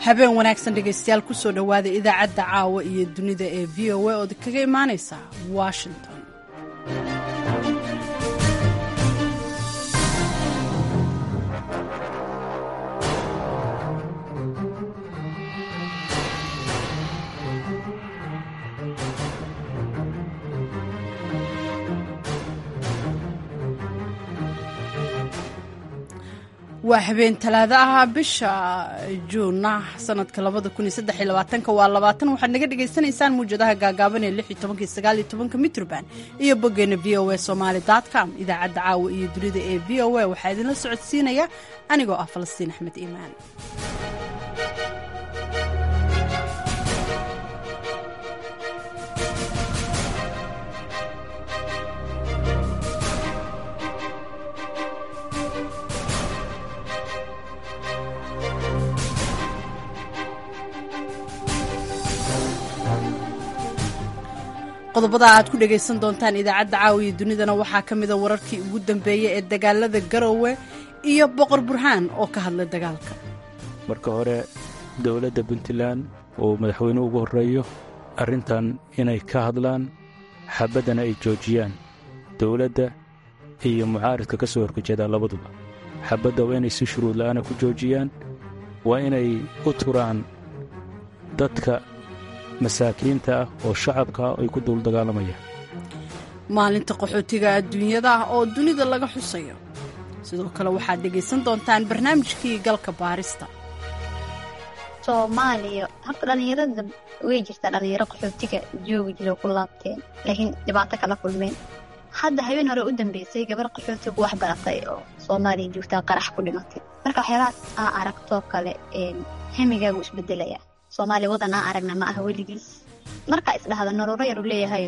Habeen wanaagsan dhegaystayaal, kusoo dhowaada idaacadda caawa iyo dunida ee VOA ood kaga imaanaysa Washington. Waa habeen Talaado ah, bisha Juuna sanadka waa 20. Waxaad naga dhagaysanaysaan muwjadaha gaagaaban ee 16-ka, 19-ka mitroband iyo boggeena voasomali.com. Idaacadda caawa iyo dunida ee VOA waxaa idinla socodsiinaya anigoo ah Falastiin Axmed Iimaan. Qodobada aad ku dhegaysan doontaan idaacadda caawiya dunidana waxaa ka mida wararkii ugu dambeeyey ee dagaalada Garowe iyo Boqor Burhaan oo ka hadlay dagaalka. Marka hore, dowladda Puntland oo madaxweynuhu ugu horreeyo arrintan inay ka hadlaan, xabaddana ay joojiyaan. Dowladda iyo mucaaridka ka soo horjeedaa labaduba xabadda waa inay si shuruud la'aana ku joojiyaan, waa inay u turaan dadka masaakiinta ah oo shacabka ay ku duul dagaalamayaan. Maalinta qaxootiga adduunyada ah oo dunida laga xusayo. Sidoo kale waxaad dhegaysan doontaan barnaamijkii galka baarista. Soomaaliya horta dhallinyarada way jirtaa, dhallinyaro qaxootiga joogi jira ku laabteen, laakiin dhibaato kala kulmeen. Hadda habeen hore u dambeysay gabar qaxootigu wax baratay oo Soomaaliya joogtaa qarax ku dhimatay. Marka waxyaabahaas aa aragtoo kale, hemigaagu isbedelaya. Soomaaliya wadan aan aragna ma aha weligiis. Markaa isdhahda noloro yar u leeyahay,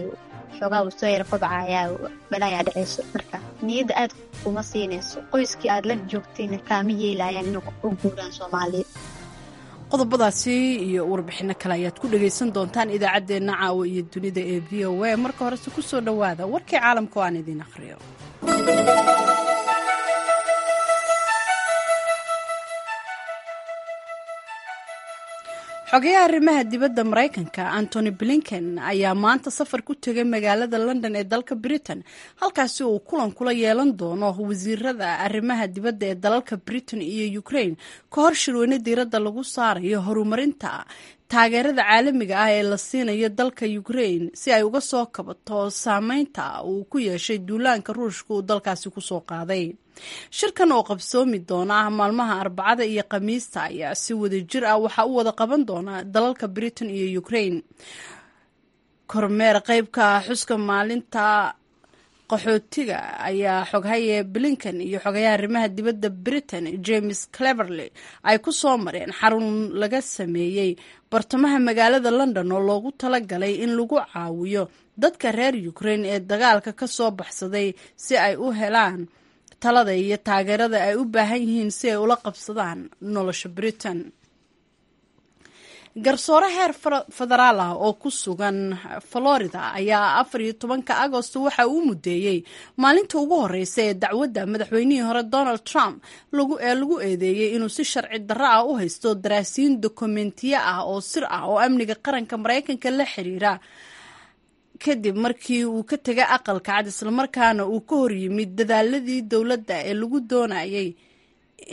xoogaa uu soo yar kobcayaa, balaayaa dhaceyso. Marka niyadda aad kuma siinayso, qoyskii aad la joogtayna kaama yeelayaan inuu u guuraan Soomaaliya. Qodobadaasi iyo warbixinno kale ayaad ku dhegaysan doontaan idaacaddeenna caawa iyo dunida ee VOA. Marka horese ku soo dhowaada warkii caalamka oo aan idiin akhriyo. Xogayaha arrimaha dibadda Maraykanka Antony Blinken ayaa maanta safar ku tegay magaalada London ee dalka Britain, halkaasi uu kulan kula yeelan doono wasiirada arrimaha dibadda ee dalalka Britain iyo Ukraine ka hor shirweyne diiradda lagu saarayo horumarinta taageerada caalamiga ah ee la siinayo dalka Ukraine si ay uga soo kabato saameynta uu ku yeeshay duulaanka Ruushka uu dalkaasi kusoo qaaday. Shirkan oo qabsoomi doona maalmaha Arbacada iyo Khamiista ayaa si wada jir ah waxaa u wada qaban doona dalalka Britain iyo Ukraine. Kormeer qeybka xuska maalinta qaxootiga ayaa xoghaye Blinken iyo xogayaha arrimaha dibadda Britain James Cleverly ay ku soo mareen xarun laga sameeyey bartamaha magaalada London oo loogu talagalay in lagu caawiyo dadka reer Ukraine ee dagaalka ka soo baxsaday si ay u helaan talada iyo taageerada ay u baahan yihiin si ay ula qabsadaan nolosha Britain. Garsoore heer federaal ah oo ku sugan Florida ayaa 14-ka Agosto waxa uu mudeeyey maalinta ugu horeysa ee dacwadda madaxweynihii hore Donald Trump ee lagu eedeeyey inuu si sharci darro ah u haysto daraasiin dokumentiyo ah oo sir ah oo amniga qaranka Maraykanka la xiriira, kadib markii uu ka tegay Aqalka Cad islamarkaana uu ka hor yimid dadaaladii dowladda ee lagu doonayay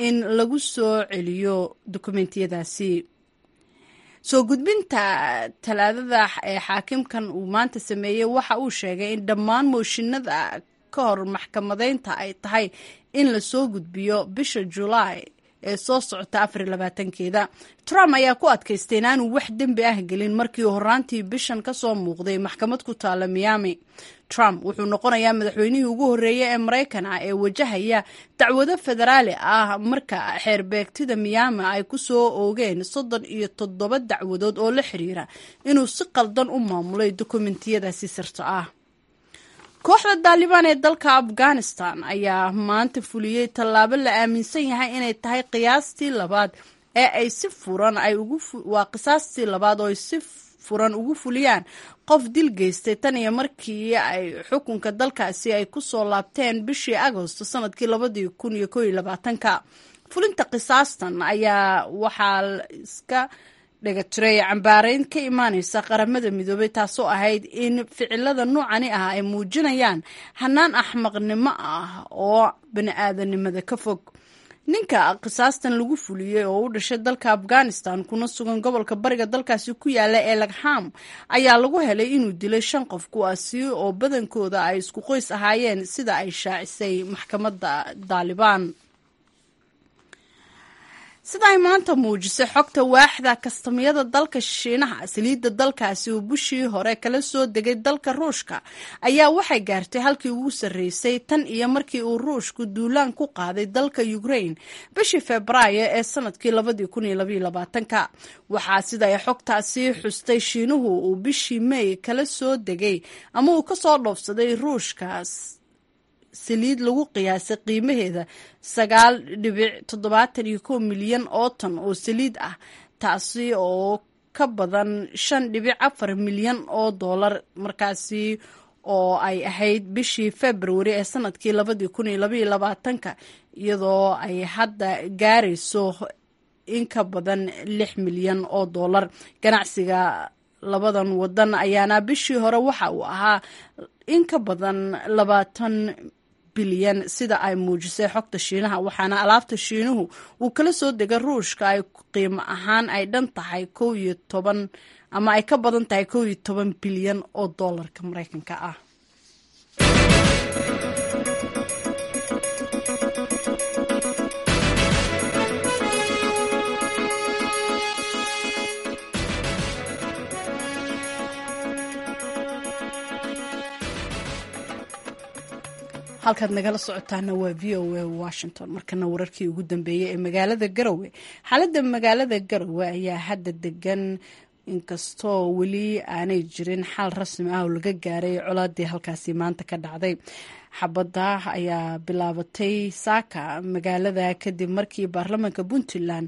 in lagu soo celiyo dokumentiyadaasi. Soo gudbinta Talaadada ee xaakimkan uu maanta sameeyey waxa uu sheegay in dhammaan mooshinada ka hor maxkamadeynta ay tahay in la soo gudbiyo bisha Julaay ee soo socota 24-keeda. Trump ayaa ku adkaystay inaanu wax dembi ah gelin markii horaantii bishan ka soo muuqday maxkamad ku taala Miami. Trump wuxuu noqonayaa madaxweynihii ugu horreeyay ee Maraykan ah ee wajahaya dacwado federaali ah marka xeerbeegtida Miami ay ku soo oogeen 37 dacwadood oo la xiriira inuu si qaldan u maamulay dokumentiyadaasi sirta ah. Kooxda Daalibaan ee dalka Afghanistan ayaa maanta fuliyey tallaabo la aaminsan yahay inay tahay qiyaastii labaad ee ay si furan ay ugu waa qisaastii labaad oo ay si furan ugu fuliyaan qof dil geystay tan iyo markii ay xukunka dalkaasi ay ku soo laabteen bishii Agosto sanadkii 2021-ka. Fulinta qisaastan ayaa waxaa iska dhegatiray cambaareyn ka imaaneysa Qaramada Midoobay, taasoo ahayd in ficilada noocani ah ay muujinayaan hanaan axmaqnimo ah oo bani-aadanimada ka fog. Ninka qisaastan lagu fuliyey oo u dhashay dalka Afghanistan kuna sugan gobolka bariga dalkaasi ku yaala ee Lagham ayaa lagu helay inuu dilay shan qof, kuwaasi oo badankooda ay isku qoys ahaayeen, sida ay shaacisay maxkamadda Daalibaan. Sida ay maanta muujisay xogta waaxda kastamyada dalka Shiinaha, saliidda dalkaasi uu bishii hore kala soo degay dalka Ruushka ayaa waxay gaartay halkii ugu sarreysay tan iyo markii uu Ruushku duulaan ku qaaday dalka Ukraine bishii Febraayo ee sanadkii 2022-ka. Waxaa sida ay xogtaasi xustay Shiinuhu uu bishii May kala soo degay ama uu kasoo dhoofsaday Ruushka saliid lagu qiyaasay qiimaheeda 9.71 milyan oo tan oo saliid ah, taasi oo ka badan 5.4 milyan oo doolar, markaasi oo ay ahayd bishii Februari ee sanadkii 2022-ka, iyadoo ay hadda gaarayso in ka badan 6 milyan oo doolar. Ganacsiga labadan wadan ayaana bishii hore waxa uu ahaa in ka badan 20 bilyan, sida ay muujisay xogta Shiinaha, waxaana alaabta Shiinuhu uu kala soo degay Ruushka ay qiimo ahaan ay dhan tahay 11 ama ay ka badan tahay 11 bilyan oo doolarka Mareykanka ah. Halkaad nagala socotaana waa VOA Washington. Markana wararkii ugu dambeeyey ee magaalada Garowe. Xaaladda magaalada Garowe ayaa hadda degan, inkastoo weli aanay jirin xal rasmi ah oo laga gaaray colaadii halkaasi maanta ka dhacday. Xabadda ayaa bilaabatay saaka magaalada kadib markii baarlamaanka Puntland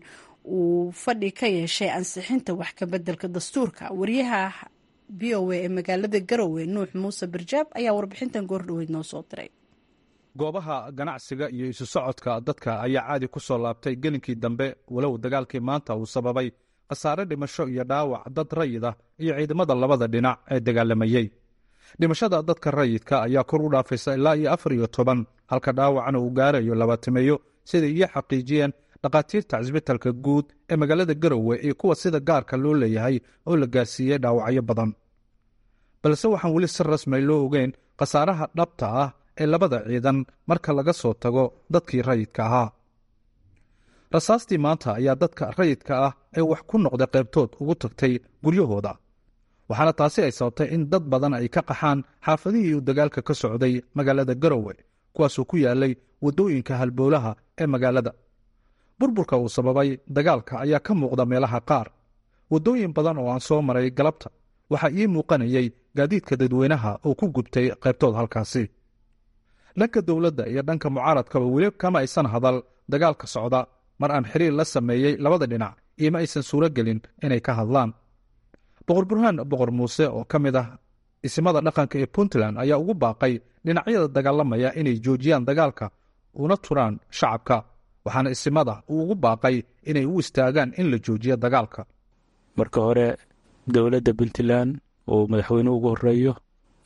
uu fadhi ka yeeshay ansixinta wax ka bedelka dastuurka. Wariyaha VOA ee magaalada Garowe, Nuux Muuse Birjaab, ayaa warbixintan goordhoweyd noo soo diray. Goobaha ganacsiga iyo isu socodka dadka ayaa caadi ku soo laabtay gelinkii dambe, walow dagaalkii maanta uu sababay khasaare dhimasho iyo dhaawac dad rayid ah iyo ciidamada labada dhinac ee dagaalamayey. Dhimashada dadka rayidka ayaa kor u dhaafaysa ilaa iyo 14, halka dhaawacna uu gaarayo 20-meeyo, siday iyo xaqiijiyeen dhakhaatiirta cisbitalka guud ee magaalada Garowe iyo kuwa sida gaarka loo leeyahay oo la gaarsiiyey dhaawacyo badan. Balse waxaan weli si rasmi loo ogeyn khasaaraha dhabta ah ee labada ciidan marka laga soo tago dadkii rayidka ahaa. Rasaastii maanta ayaa dadka rayidka ah ee wax ku noqday qaybtood ugu tagtay guryahooda, waxaana taasi ay sababtay in dad badan ay ka qaxaan xaafadihii uu dagaalka ka socday magaalada Garowe, kuwaasoo ku yaalay waddooyinka halbowlaha ee magaalada. Burburka uu sababay dagaalka ayaa ka muuqda meelaha qaar. Waddooyin badan oo aan soo maray galabta waxaa ii muuqanayay gaadiidka dadweynaha oo ku gubtay qaybtood halkaasi. Dhanka dowladda iyo dhanka mucaaradkaba weli kama aysan hadal dagaalka socda. Mar aan xiriir la sameeyey labada dhinac ioma aysan suuro gelin inay ka hadlaan. Boqor Burhaan Boqor Muuse oo ka mid ah isimada dhaqanka ee Puntland ayaa ugu baaqay dhinacyada dagaalamaya inay joojiyaan dagaalka una turaan shacabka, waxaana isimada uu ugu baaqay inay u istaagaan in la joojiyo dagaalka. Marka hore, dowladda Puntland oo madaxweynuhu ugu horeeyo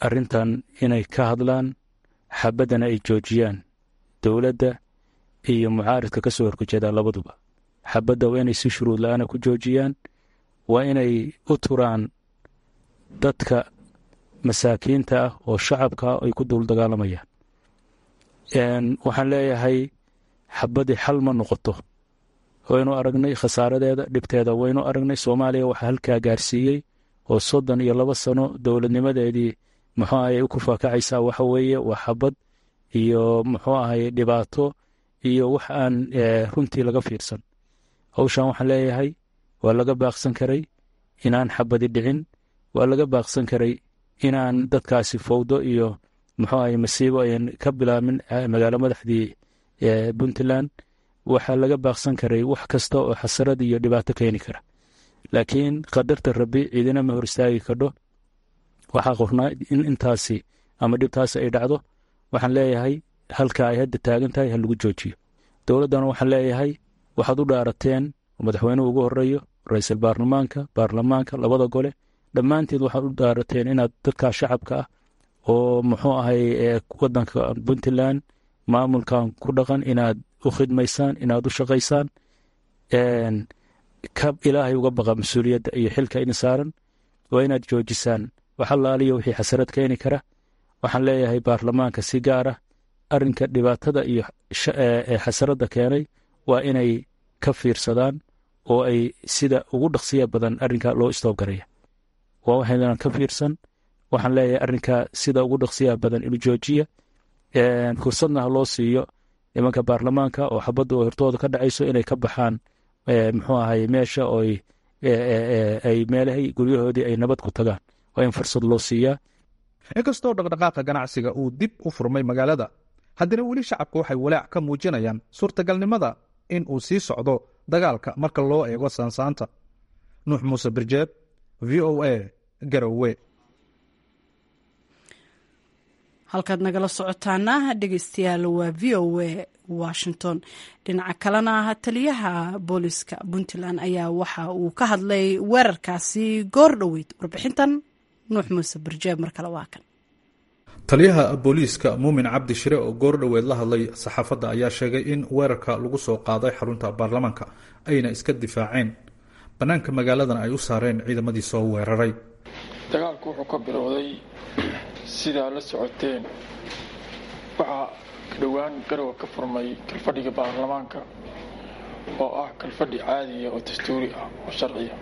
arrintan inay ka hadlaan, xabaddana ay joojiyaan. Dowladda iyo mucaaridka ka soo horjeedaa labaduba xabadda waa inay si shuruud la-aana ku joojiyaan, waa inay u turaan dadka masaakiinta ah oo shacabka ay ku dul dagaalamayaan. Waxaan leeyahay, xabaddii xal ma noqoto. Waynu aragnay khasaaradeeda, dhibteeda waynu aragnay. Soomaaliya waxaa halkaa gaarsiiyey oo 32 sano dowladnimadeedii muxuu ahay u kufaakacaysaa waxa weeye waa xabad iyo muxuu ahay dhibaato iyo wax aan runtii laga fiirsan. Hawshan waxaan leeyahay waa laga baaqsan karay inaan xabadi dhicin, waa laga baaqsan karay inaan dadkaasi fowdo iyo muxuu ahay masiibo ayan ka bilaabmin magaalo madaxdii Puntland. Waxaa laga baaqsan karay wax kasta oo xasarad iyo dhibaato keeni kara, laakiin qadarta Rabbi ciidina ma hor istaagi kadho. Waxaa qornaa in intaasi ama dhibtaasi ay dhacdo. Waxaan leeyahay halka ay hadda taagan tahay ha lagu joojiyo. Dowladdana waxaan leeyahay Waxaad u dhaarateen oo madaxweynuhu ugu horeeyo, ra-iisul baarlamaanka, baarlamaanka labada gole, dhammaanteed waxaad u dhaarateen inaad dadkaa shacabka ah oo muxuu ahay wadanka Puntland maamulkan ku dhaqan inaad u khidmaysaan, inaad u shaqaysaan. Ka Ilaahay uga baqa mas-uuliyadda iyo xilka idin saaran. Waa inaad joojisaan wax allaaliyo wixii xasarad keeni kara. Waxaan leeyahay baarlamaanka si gaar ah, arrinka dhibaatada iyo xasaradda keenay waa inay ka fiirsadaan oo ay sida ugu dhaqsiya badan arrinka loo stop garaya. Waa waxaynan ka fiirsan. Waxaan leeyahay arrinka sida ugu dhaqsiyaha badan inuu joojiya, fursadna ha loo siiyo nimanka baarlamaanka oo xabadda oo hortooda ka dhacayso inay ka baxaan, muxuu ahay, meesha oo ay meelahay guryahoodii ay nabad ku tagaan. Waa in fursad loo siiyaa. Inkastoo dhaqdhaqaaqa ganacsiga uu dib u furmay magaalada, haddana weli shacabka waxay walaac ka muujinayaan suurtagalnimada in uu sii socdo dagaalka marka loo eego saansaanta. Nuux Muuse Birjeeb, VOA, Garowe. Halkaad nagala socotaana, dhegeystayaal, waa VOA Washington. Dhinaca kalena, taliyaha booliska Puntland ayaa waxa uu ka hadlay weerarkaasi goor dhoweyd. Warbixintan Nuux Muuse Birjeeb mar kale waa kan. Taliyaha booliiska Muumin Cabdi Shire oo goor dhoweed la hadlay saxaafadda ayaa sheegay in weerarka lagu soo qaaday xarunta baarlamaanka ayna iska difaaceen, bannaanka magaaladan ay u saareen ciidamadii soo weeraray. Dagaalku wuxuu ka bilowday, sidaa la socoteen, waxaa dhowaan Garowe ka furmay kalfadhiga baarlamaanka oo ah kalfadhi caadiya oo dastuuri ah oo sharciya.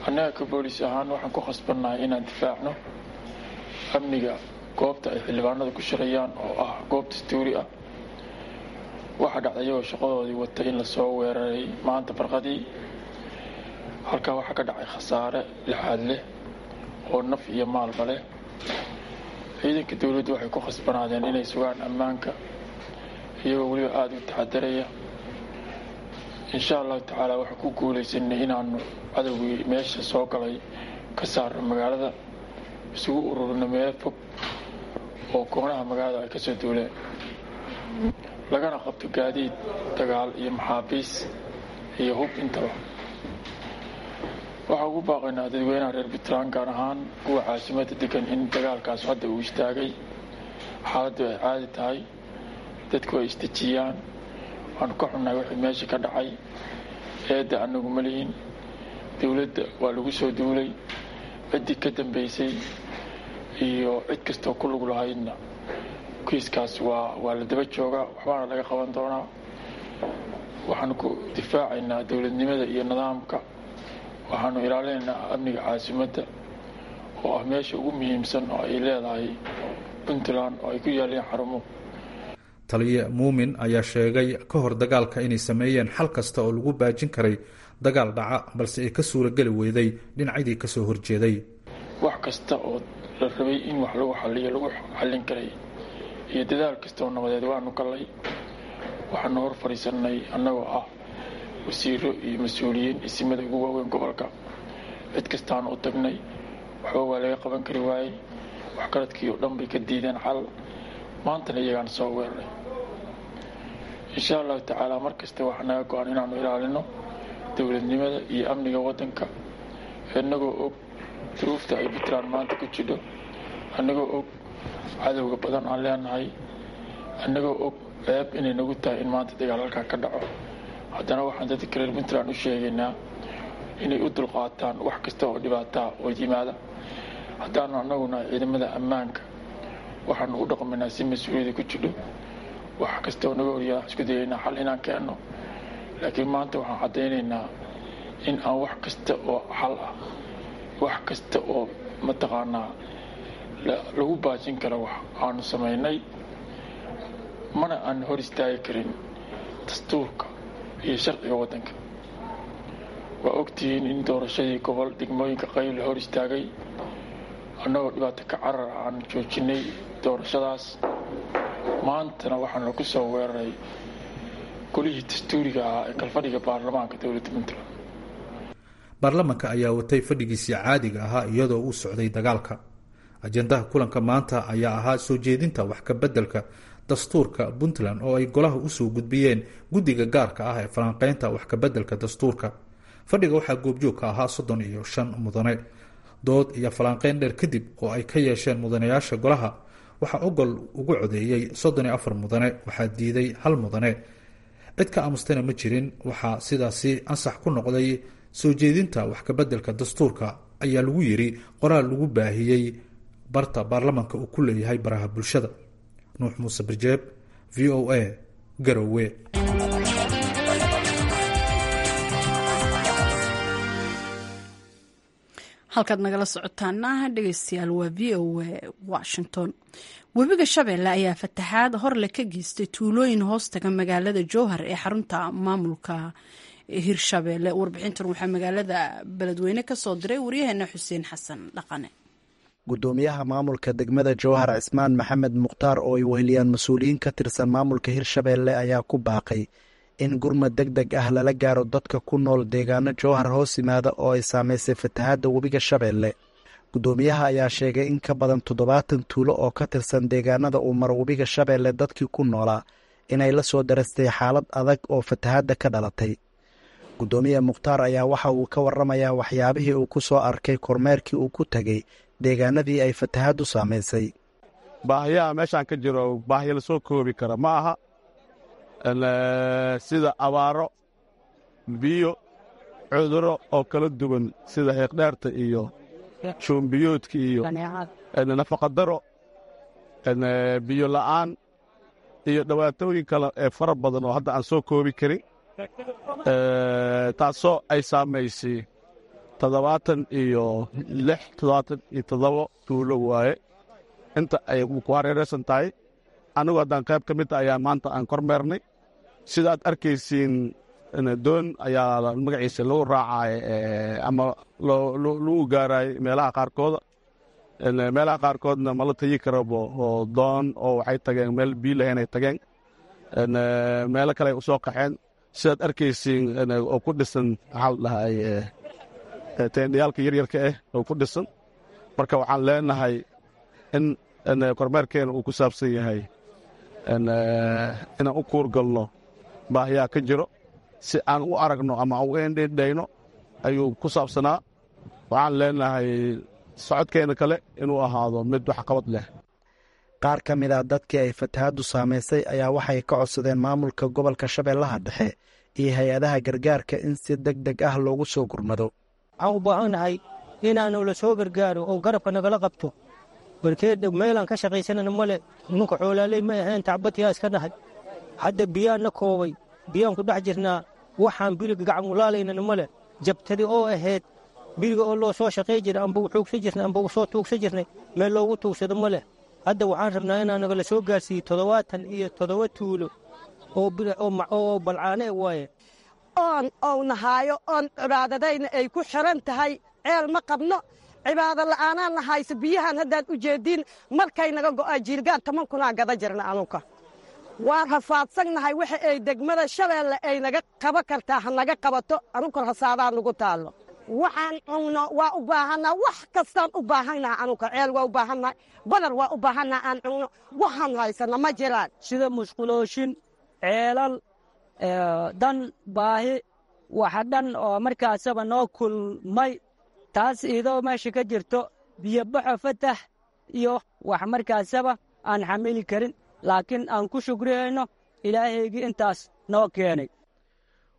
Annaga ka booliis ahaan waxaan ku khasbannahay inaan difaacno amniga goobta ay xildhibaanada ku shirayaan oo ah goob dastuuri ah. Waxaa dhacday iyagoo shaqadoodii watay in lasoo weeraray maanta barqadii. Halkaa waxaa ka dhacay khasaare lixaad leh oo naf iyo maalba leh. Ciidanka dowladdu waxay ku khasbanaadeen inay sugaan ammaanka, iyagoo weliba aada u taxadaraya. Insha Allahu tacaala, waxaan ku guulaysanay inaanu cadowgii meesha soo galay ka saarno magaalada, isugu ururino meel fog oo koonaha magaalada ay kasoo duuleen, lagana qabto gaadiid dagaal iyo maxaabiis iyo hub intaba. Waxaan ugu baaqaynaa dadweynaha reer Puntland, gaar ahaan kuwa caasimadda degan, in dagaalkaas hadda uu istaagay, xaaladdu ay caadi tahay, dadku ay isdejiyaan. Waanu ka xunnahay wixii meesha ka dhacay. Eedda anagu ma lihin, dowladda waa lagu soo duulay. Ciddii ka dambeysay iyo cid kastoo ku lug lahaydna kiiskaas waa la daba joogaa, waxbaana laga qaban doonaa. Waxaanu ku difaacaynaa dowladnimada iyo nidaamka. Waxaanu ilaalinaynaa amniga caasimadda oo ah meesha ugu muhiimsan oo ay leedahay Puntland oo ay ku yaaleen xarumo. Taliye Muumin ayaa sheegay ka hor dagaalka inay sameeyeen xal kasta oo lagu baajin karay dagaal dhaca, balse ay ka suurageli weyday dhinacyadii kasoo horjeeday. Wax kasta oo la rabay in wax lagu xaliyo, lagu xallin karay, iyo dadaal kasta oo nabadeed waanu gallay. Waxaanu hor fadhiisanay annagoo ah wasiiro iyo mas-uuliyiin, isimada ugu waaweyn gobolka. Cid kastaanu u tagnay, waxba waa laga qaban kari waayey. Waxgaradkii oo dhan bay ka diideen xal. Maantana iyagaan soo weeraray. Insha Allahu tacaala, mar kasta waxaa naga go-an inaanu ilaalino dowladnimada iyo amniga waddanka, innagoo og duruufta ay Puntland maanta ku jidho, annagoo og cadowga badan aan leenahay, annagoo og ceeb inay nagu tahay in maanta dagaal halkaa ka dhaco. Haddana waxaan dadka reer Puntland u sheegaynaa inay u dulqaataan wax kasta oo dhibaataa oo yimaada. Haddaanu annaguna ciidamada ammaanka, waxaanu u dhaqmaynaa si mas-uuliyada ku jidho. Wax kasta oo naga horyaa isku dayaynaa xal inaan keenno, laakiin maanta waxaan caddaynaynaa in aan wax kasta oo xal ah, wax kasta oo mataqaanaa lagu baajin karo wax aanu samaynay, mana aan hor istaagi karin dastuurka iyo sharciga waddanka. Waa ogtihiin in doorashadii gobol degmooyinka qayb la hor istaagay, annagoo dhibaato ka carar aan joojinay doorashadaas. Maantana waxaana ku soo weeraray golihii dastuuriga ahaa ee kalfadhiga baarlamaanka dowladda Puntland. Baarlamanka ayaa watay fadhigiisii caadiga ahaa iyadoo uu socday dagaalka. Ajendaha kulanka maanta ayaa ahaa soo jeedinta wax ka beddelka dastuurka Puntland oo ay golaha usoo gudbiyeen guddiga gaarka ah ee falanqeynta wax kabeddelka dastuurka. Fadhiga waxaa goobjoog ka ahaa 35 mudane. Dood iyo falanqeyn dheer kadib oo ay ka yeesheen mudanayaasha golaha, waxaa ogol ugu codeeyey 34 mudane, waxaa diiday 1 mudane, cid ka aamustana ma jirin. Waxaa sidaasi ansax ku noqday soo jeedinta wax kabeddelka dastuurka, ayaa lagu yiri qoraal lagu baahiyey barta baarlamanka uu ku leeyahay baraha bulshada. Nuux Muuse Birjeeb, VOA, Garowe. Halkaad nagala socotaana, dhegeystayaal, waa VOA Washington. Webiga Shabeelle ayaa fataxaad horle ka geystay tuulooyin hoostaga magaalada Jowhar ee xarunta maamulka Hirshabeelle. Warbixintan waxaa magaalada Beledweyne kasoo diray waryaheena Xuseen Xasan Dhaqane. Gudoomiyaha maamulka degmada Jowhar, Cismaan Maxamed Mukhtaar, oo ay weheliyaan mas-uuliyiin ka tirsan maamulka Hirshabeelle, ayaa ku baaqay in gurmad deg deg ah lala gaaro dadka ku nool deegaano Jowhar hoos yimaada oo ay saameysay fatahaadda webiga Shabeelle. Gudoomiyaha ayaa sheegay in ka badan 70 tuulo oo ka tirsan deegaanada uu maro webiga Shabeelle dadkii ku noolaa inay la soo darastay xaalad adag oo fatahaadda ka dhalatay. Gudoomiye Mukhtaar ayaa waxa uu ka waramayaa waxyaabihii uu ku soo arkay kormeerkii uu ku tegey deegaanadii ay fatahaaddu saamaysay. Baahiyaha meeshaan ka jiro baahiya lasoo koobi kara ma aha, sida abaaro, biyo, cudurro oo kala duwan sida xiiqdheerta iyo shuumbiyoodka iyo nafaqadaro, biyo la'aan iyo dhibaatooyin kale ee fara badan oo hadda aan soo koobi karin, taasoo ay saamaysay 76, 77 tuulo waaye inta ay ku hareeraysan tahay. Annagu haddaan qayb ka mid ayaa maanta aan kormeernay. Sida aad arkaysiin, doon ayaa magaciisa lagu raacay ama lagu gaaraay meelaha qaarkooda. Meelaha qaarkoodna ma la tegi karabo oo doon oo waxay tageen meel biyo lahayn ay tageen, meelo kale ay u soo qaxeen, sidaad arkaysiin, oo ku dhisan, maxaa la dhahay, teendhayaalka yaryarka ah oo ku dhisan. Marka waxaan leenahay in kormeerkeena uu ku saabsan yahay inaan u kuurgalno baahiyaha ka jiro si aan u aragno ama u endhendhayno ayuu ku saabsanaa. Waxaan leenahay socodkeena kale inuu ahaado mid waxqabad leh. Qaar ka mid ah dadkii ay fatahaaddu saamaysay ayaa waxay ka codsadeen maamulka gobolka Shabeellaha Dhexe iyo hay-adaha gargaarka in si deg deg ah loogu soo gurmado. Waxaan u baahannahay inaanu la soo gargaaro oo garabka nagala qabto. Barkeed meelaan ka shaqaysanana male. Nunka xoolaaley ma ahayn, tacbadyaa iska nahay. Hadda biyaan na koobay, biyaan ku dhex jirnaa. Waxaan biriga gacan ulaalaynana male. Jabtadi oo ahayd biriga oo loo soo shaqay jira amba xuugsan jirnay amba soo tuugsan jirnay, meel loogu tuugsado male. Hadda waxaan rabnaa inaa nagala soo gaarsiiyo 77 tuulo oo balcaane waaye. Oon ou nahaayo, oon cibaadadayna ay ku xiran tahay. Ceel ma qabno, cibaado la'aanaan na hayso. Biyahan haddaad u jeediin, markay naga go'aa jiirgaan 10,000-aa gada jirna. Anuka waan rafaadsannahay. Waxa ay degmada Shabeelle ay naga qaba kartaa ha naga qabato. Anuka rasaadaa nagu taallo. Waxaan cunno waa u baahannaha, wax kastaan u baahannaha. Anuka ceel waa u baahannahay, badar waa u baahannaha aan cunno. Waxaan haysanna ma jiraan. Sida musqulooshin, ceelal, dan baahi waxa dhan oo markaasaba noo kulmay, taas idoo meesha ka jirto biyobaxo, fatax iyo wax markaasaba aan xamili karin, laakiin aan ku shukriyayno Ilaahaygii intaas noo keenay.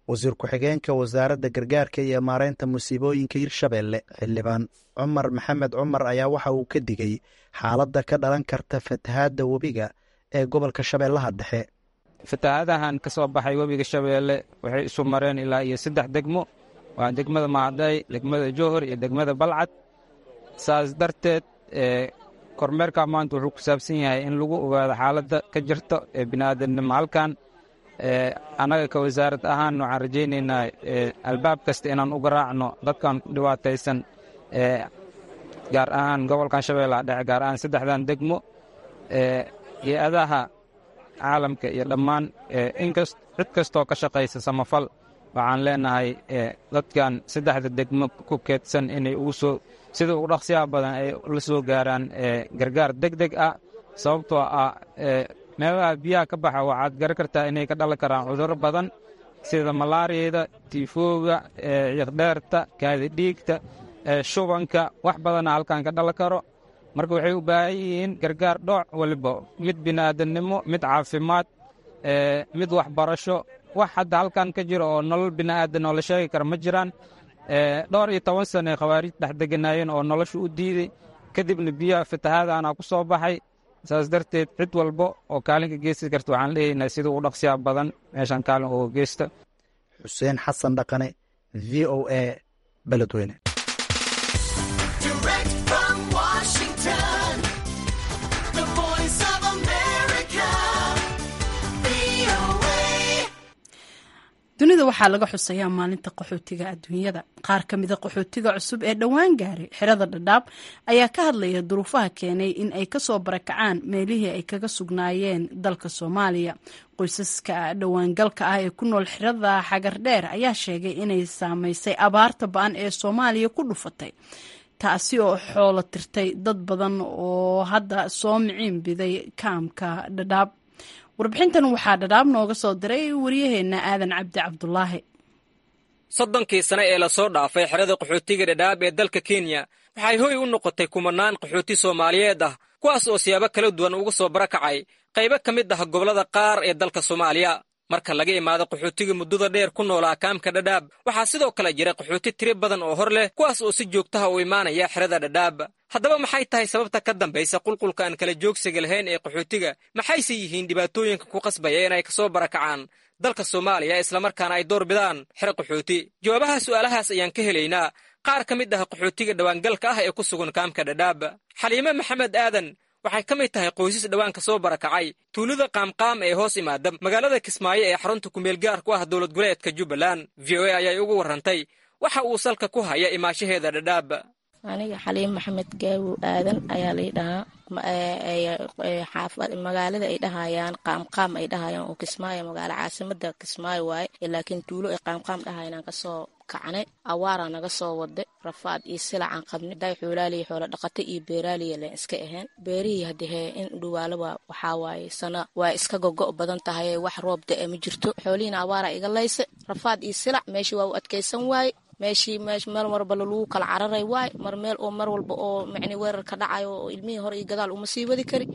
Wasiir ku-xigeenka wasaaradda gargaarka iyo maareynta musiibooyinka Hirshabeelle, Xildhibaan Cumar Maxamed Cumar, ayaa waxa uu ka digay xaaladda ka dhalan karta fatahaadda webiga ee gobolka Shabeellaha Dhexe. Fatahaadahan ka soo baxay webiga Shabeelle waxay isu mareen ilaa iyo saddex degmo: waa degmada Macday, degmada Jowhar iyo degmada Balcad. Saas darteed kormeerka maanta wuxuu ku saabsan yahay in lagu ogaado xaaladda ka jirta ee bini'aadamnimo halkan. Annaga ka wasaarad ahaan waxaan rajaynaynaa albaab kasta inaan u garaacno dadkan dhibaataysan, gaar ahaan gobolkan Shabeellaha Dhexe, gaar ahaan saddexdan degmo. Hay-adaha caalamka iyo dhammaan inkas cid kastoo ka shaqaysa samafal waxaan leenahay dadkan saddexda degmo ku keedsan inay ugu soo sida ugu dhaqsiyaha badan ay la soo gaaraan gargaar deg deg ah, sababtoo ah Meelaha biyaha ka baxa waxaad garan kartaa inay ka dhalan karaan cudurro badan sida malaariyada, tiifooga, ciiqdheerta, kaadidhiigta, shubanka, wax badana halkan ka dhalan karo. Marka waxay u baahan yihiin gargaar dhooc waliba, mid bini'aadannimo, mid caafimaad, mid waxbarasho. Wax hadda halkan ka jira oo nolol bini'aadan oo la sheegi kara ma jiraan. Dhowr iyo toban sane khawaarij dhex deganaayeen oo nolosha u diiday, kadibna biyaha fatahaadaana ku soo baxay. Saas darteed cid walba oo kaalinka geysti karta waxaan leeyahnaa sida ugu dhaqsiyaa badan meeshaan kaalin uga geysta. Xuseen Xasan Dhaqane, V O A, Beledweyne. Dunida waxaa laga xusayaa maalinta qaxootiga adduunyada. Qaar ka mida qaxootiga cusub ee dhowaan gaaray xerada Dhadhaab ayaa ka hadlaya duruufaha keenay in ay kasoo barakacaan meelihii ay kaga sugnaayeen dalka Soomaaliya. Qoysaska dhowaangalka ah ee ku nool xerada Xagardheer ayaa sheegay inay saameysay abaarta ba-an ee Soomaaliya ku dhufatay, taasi oo xoolo tirtay dad badan oo hadda soo miciin biday kaamka Dhadhaab. Warbixintan waxaa Dhadhaab nooga soo diray waryaheena Aadan Cabdi Cabdulaahi. 30kii sane ee lasoo dhaafay, xerada qaxootiga Dhadhaab ee dalka Kenya waxay hoy u noqotay kumanaan qaxooti Soomaaliyeed ah, kuwaas oo siyaabo kala duwan uga soo barakacay qaybo ka mid ah gobollada qaar ee dalka Soomaaliya. Marka laga imaado qaxootiga muddada dheer ku noolaa kaamka Dhadhaab, waxaa sidoo kale jira qaxooti tiro badan oo hor leh, kuwaas oo si joogtaha u imaanaya xerada Dhadhaab. Haddaba maxay tahay sababta ka dambaysa qulqulka aan kala joogsiga lahayn ee qaxootiga? Maxayse yihiin dhibaatooyinka ku qasbaya inay kasoo barakacaan dalka Soomaaliya islamarkaana ay door bidaan xero qaxooti? Jawaabaha su'aalahaas ayaan ka helaynaa qaar ka mid ah qaxootiga dhowaangalka ah ee ku sugan kaamka Dhadhaab. Xaliime Maxamed Aadan waxay ka mid tahay qoysas dhowaan ka soo barakacay tuulada Qaamqaam ee hoos imaada magaalada Kismaayo ee xarunta kumeel gaar ku ah dowlad goboleedka Jubbaland. V O A ayay ugu warrantay waxa uu salka ku haya imaashaheeda Dhadhaab. Aniga Xaliim Maxamed Gaawo Aadan ayaa lay dhahaa. Magaalada ay dhahayaan Qaamqaam ay dhahayaan oo Kismaayo, magaalo caasimada Kismaayo waaye, laakiin tuulo ay Qaamqaam dhahayaan aan kasoo kacnay. Awaaraa naga soo wada, rafaad iyo silacaan qabnay. Day xoolaaliya, xoola dhaqata iyo beeraaliya leen iska ahayn. Beerihii haddii in dhuwaalaba waxaa waaye sana waa iska gogo badan tahay, wax roob da-e ma jirto. Xoolihiina awaaraa iga laysa, rafaad iyo silac meeshii waa u adkaysan waaye. Meeshii meel marba lagu kala cararay waay, mar meel oo mar walba oo macni weerar ka dhacayo oo ilmihii hore iyo gadaal uma sii wadi kari.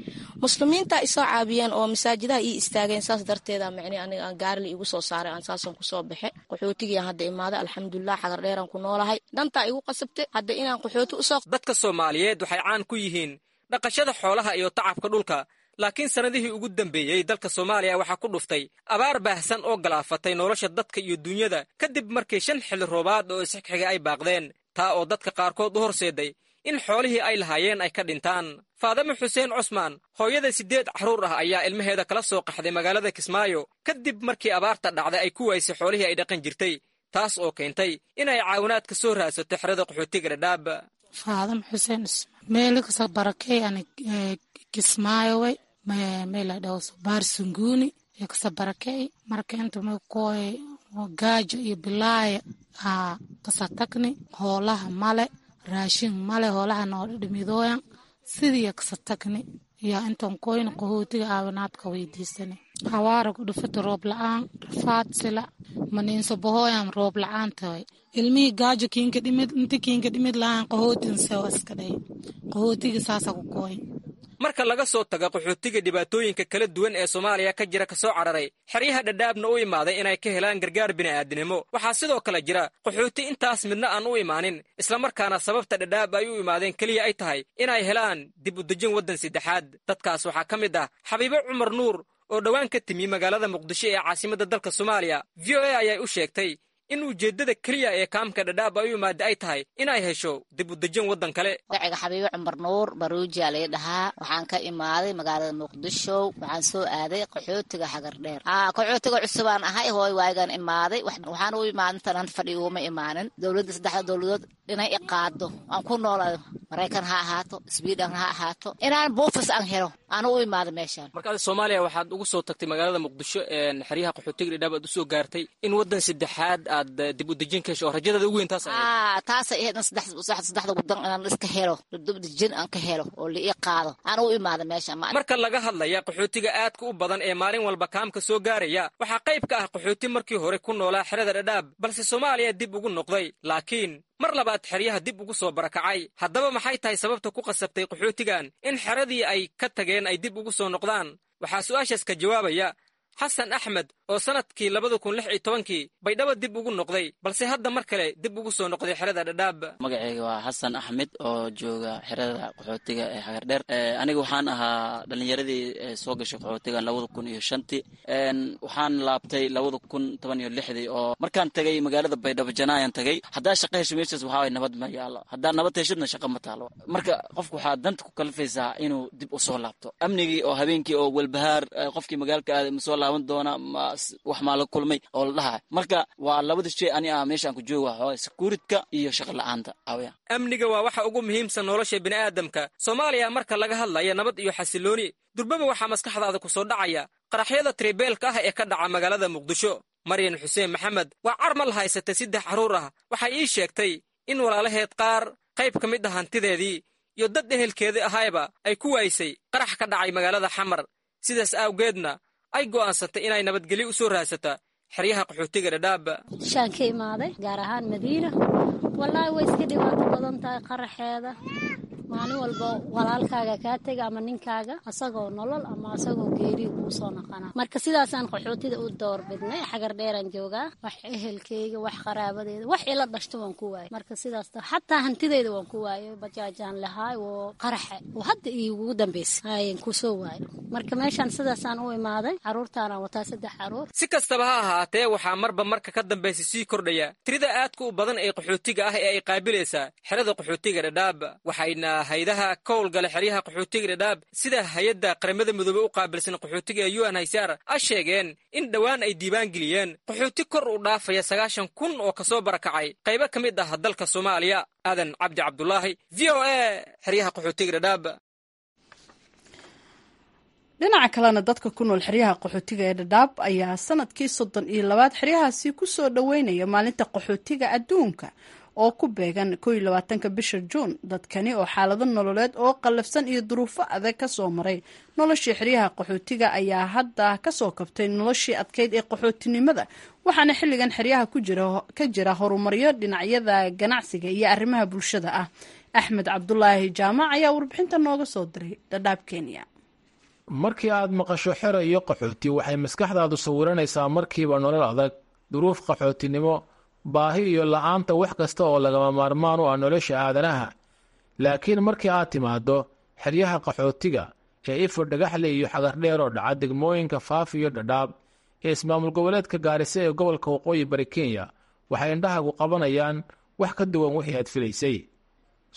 Muslimiinta isoo caabiyeen oo masaajidaha ii istaageen, saas darteeda macni aniga aan gaarili igu soo saaray, aan saasan kusoo baxe. Qaxootigii aan hadda imaaday, alxamdulilah, Xagar Dheeraan ku noolahay. Dantaa igu qasabtay hadda inaan qaxooti usoo. Dadka Soomaaliyeed waxay caan ku yihiin dhaqashada xoolaha iyo tacabka dhulka, laakiin sannadihii ugu dambeeyey dalka Soomaaliya waxaa ku dhuftay abaar baahsan oo galaafatay nolosha dadka iyo duunyada, kadib markii 5 xilli roobaad oo isxigxiga ay baaqdeen, taa oo dadka qaarkood u horseeday in xoolihii ay lahaayeen ay ka dhintaan. Faadame Xuseen Cusmaan, hooyada 8 carruur ah, ayaa ilmaheeda kala soo qaxday magaalada Kismaayo kadib markii abaarta dhacday ay ku waysay xoolihii ay dhaqan jirtay, taas oo keentay inay caawinaad ka soo raadsato xerada qaxootiga Dhadhaab. Faadame Xuseen Cusmaan, meelikasoo barakey ani Kismaayo way meel la dhaho Baar Sunguuni iyo kasa barakey. Marka inta makoy gaajo iyo bilaaya aa kasa tagni, hoolaha male, raashin male, hoolaha noo dhimidooyan sidii kasa tagni iyo intan koyna qaxootiga aawanaadka weydiisani. Hawaara ku dhufata, roob la-aan, rafaad, sila maniinso bahooyan, roob la-aan tahay, ilmihii gaajo kiinka dhimid, inta kiinka dhimid la-aan qaxootin sewa iska dhay, qaxootiga saasa ku kooy. Marka laga soo tago qaxootiga dhibaatooyinka kala duwan ee Soomaaliya ka jira kasoo cararay xeryaha Dhadhaabna u imaaday inay ka helaan gargaar bini'aadinimo, waxaa sidoo kale jira qaxooti intaas midna aan u imaanin, islamarkaana sababta Dhadhaab ay u imaadeen keliya ay tahay inay helaan dib u dejin waddan saddexaad. Dadkaas waxaa ka mid ah Xabiibo Cumar Nuur oo dhowaan ka timi magaalada Muqdisho ee caasimadda dalka Soomaaliya. V O A ayay u sheegtay in ujeeddada keliya ee kaamka Dhadhaab ay u imaada ay tahay inay hesho dib u dejin waddan kale. Magaciga Xabiibe Cumar Nuur Baruujiyaa lay dhahaa. Waxaan ka imaaday magaalada Muqdisho, waxaan soo aaday qaxootiga Xagardheer. Qaxootiga cusubaan ahay, hooy waagaan imaaday. Waxaan u imaaday intaan fadhi uguma imaanin. Dowladda, saddexda dowladood inay i qaado aan ku noolaado, Maraykan ha ahaato, Sweden ha ahaato, inaan buufis aan helo. Aanu u imaaday meeshaan. Marka adi Soomaaliya waxaad ugu soo tagtay magaalada Muqdisho, xeryaha qaxootiga Dhadhaab aad usoo gaartay in waddan saddexaad aad dib u dejin ka hesho, oo rajadaada ugu weyn taas ahayd. Aa, taasay ahayd in saddexda waddan inaan iska helo, dib dejin aan ka helo oo la ii qaado. Aanu u imaaday meeshaan. Marka laga hadlaya qaxootiga aadka u badan ee maalin walba kaamka soo gaaraya, waxaa qayb ka ah qaxooti markii hore ku noolaa xerada Dhadhaab balse Soomaaliya dib ugu noqday, laakiin mar labaad xeryaha dib ugu soo barakacay. Haddaba maxay tahay sababta ku qasabtay qaxootigan in xeradii ay ka tageen ay dib ugu soo noqdaan? Waxaa su'aashaas ka jawaabaya Xasan Axmed oo sannadkii 2016-kii Baydhabo dib ugu noqday, balse hadda mar kale dib ugu soo noqday xerada Dhadhaab. Magacayga waa Xasan Axmed oo jooga xerada qaxootiga ee Xagardheer. Aniga waxaan ahaa dhalinyaradii soo gashay qaxootiga 2005-tii. Waxaan laabtay 2016-dii oo markaan tagay magaalada Baydhabo janaayaan tagay. Haddaa shaqa hesho meeshaas waxaa waye nabad ma yaalo, haddaa nabad heshidna shaqa ma taalo. Marka qofku waxaa danta ku kalifaysaa inuu dib u soo laabto. Amnigii oo habeenkii oo walbahaar, qofkii magaalka aaday ma soo laaban doona, ma wax maa la kulmay oo la dhahay. Marka waa labada shay ani ah meeshaan ku jooga, waxaa securityka iyo shaqa la'aanta awaya. Amniga waa waxa ugu muhiimsan nolosha bini'aadamka. Soomaaliya marka laga hadlaya nabad iyo xasilooni, durbaba waxaa maskaxdaada ku soo dhacaya qaraxyada tribeelka ah ee ka dhaca magaalada Muqdisho. Maryan Xuseen Maxamed waa carmal haysatay 3 carruur ah. Waxay ii sheegtay in walaalaheed qaar, qayb ka mid ah hantideedii iyo dad ehelkeedii ahayba ay ku waaysay qarax ka dhacay magaalada Xamar, sidaas awgeedna ay go'aansatay inay nabadgelyo u soo raadsata xeryaha qaxootiga Dhadhaab. Shaan ka imaaday, gaar ahaan Madiina. Wallaahi way iska dhibaato badan tahay qaraxeeda. Maalin walba walaalkaaga kaa tega ama ninkaaga, asagoo nolol ama asagoo geeriya kuu soo naqana. Marka sidaasaan qaxootida u doorbidnay. Xagar dheeraan joogaa, wax ehelkeyga, wax qaraabadeeda, wax ila dhashto waan ku waayay. Marka sidaas xataa hantideyda waan ku waayay. Bajaajaan lahaay oo qaraxa oo hadda iigugu dambeysay hayan kusoo waayo. Marka meeshaan sidaasaan u imaaday, caruurtaanaan wataa, 3 caruur. Si kastaba ha ahaatee, waxaa marba marka ka dambaysa sii kordhaya tirida aadka u badan ee qaxootiga ah ee ay qaabilaysaa xerada qaxootiga Dhadhaab, waxayna haydaha ka howlgala xeryaha qaxootiga Dhadhaab sida hay-adda Qaramada Midoobey u qaabilsan qaxootiga ee UNHCR a sheegeen in dhowaan ay diiwaan geliyeen qaxooti kor u dhaafaya 90,000 oo kasoo barakacay qaybo ka mid ah dalka Soomaaliya. Aadan Cabdi Cabdulaahi, V O A, xeryaha qaxootiga Dhadhaab. Dhinaca kalena, dadka ku nool xeryaha qaxootiga ee Dhadhaab ayaa sanadkii 32aad xeryahaasi ku soo dhoweynaya maalinta qaxootiga adduunka oo ku beegan 21-ka bisha Juun. Dadkani oo xaalado nololeed oo qallafsan iyo duruufo adag ka soo maray noloshii xeryaha qaxootiga ayaa hadda kasoo kabtay noloshii adkeyd ee qaxootinimada, waxaana xilligan xeryaha ka jira horumaryo dhinacyada ganacsiga iyo arrimaha bulshada ah. Axmed Cabdulaahi Jaamac ayaa warbixinta nooga soo diray Dhadhaab, Kenya. Markii aad maqasho xero iyo qaxooti, waxay maskaxdaadu sawiranaysaa markiiba nolol adag, duruuf qaxootinimo, baahi iyo la'aanta wax kasta oo lagama maarmaan u ah nolosha aadanaha. Laakiin markii aad timaaddo xeryaha qaxootiga ee Ifo, Dhagaxle iyo Xagardheer oo dhaca degmooyinka Faafi iyo Dhadhaab ee ismaamul goboleedka Gaarisa ee gobolka Waqooyi Bari Kenya, waxay indhahagu qabanayaan wax ka duwan wixii aad filaysay.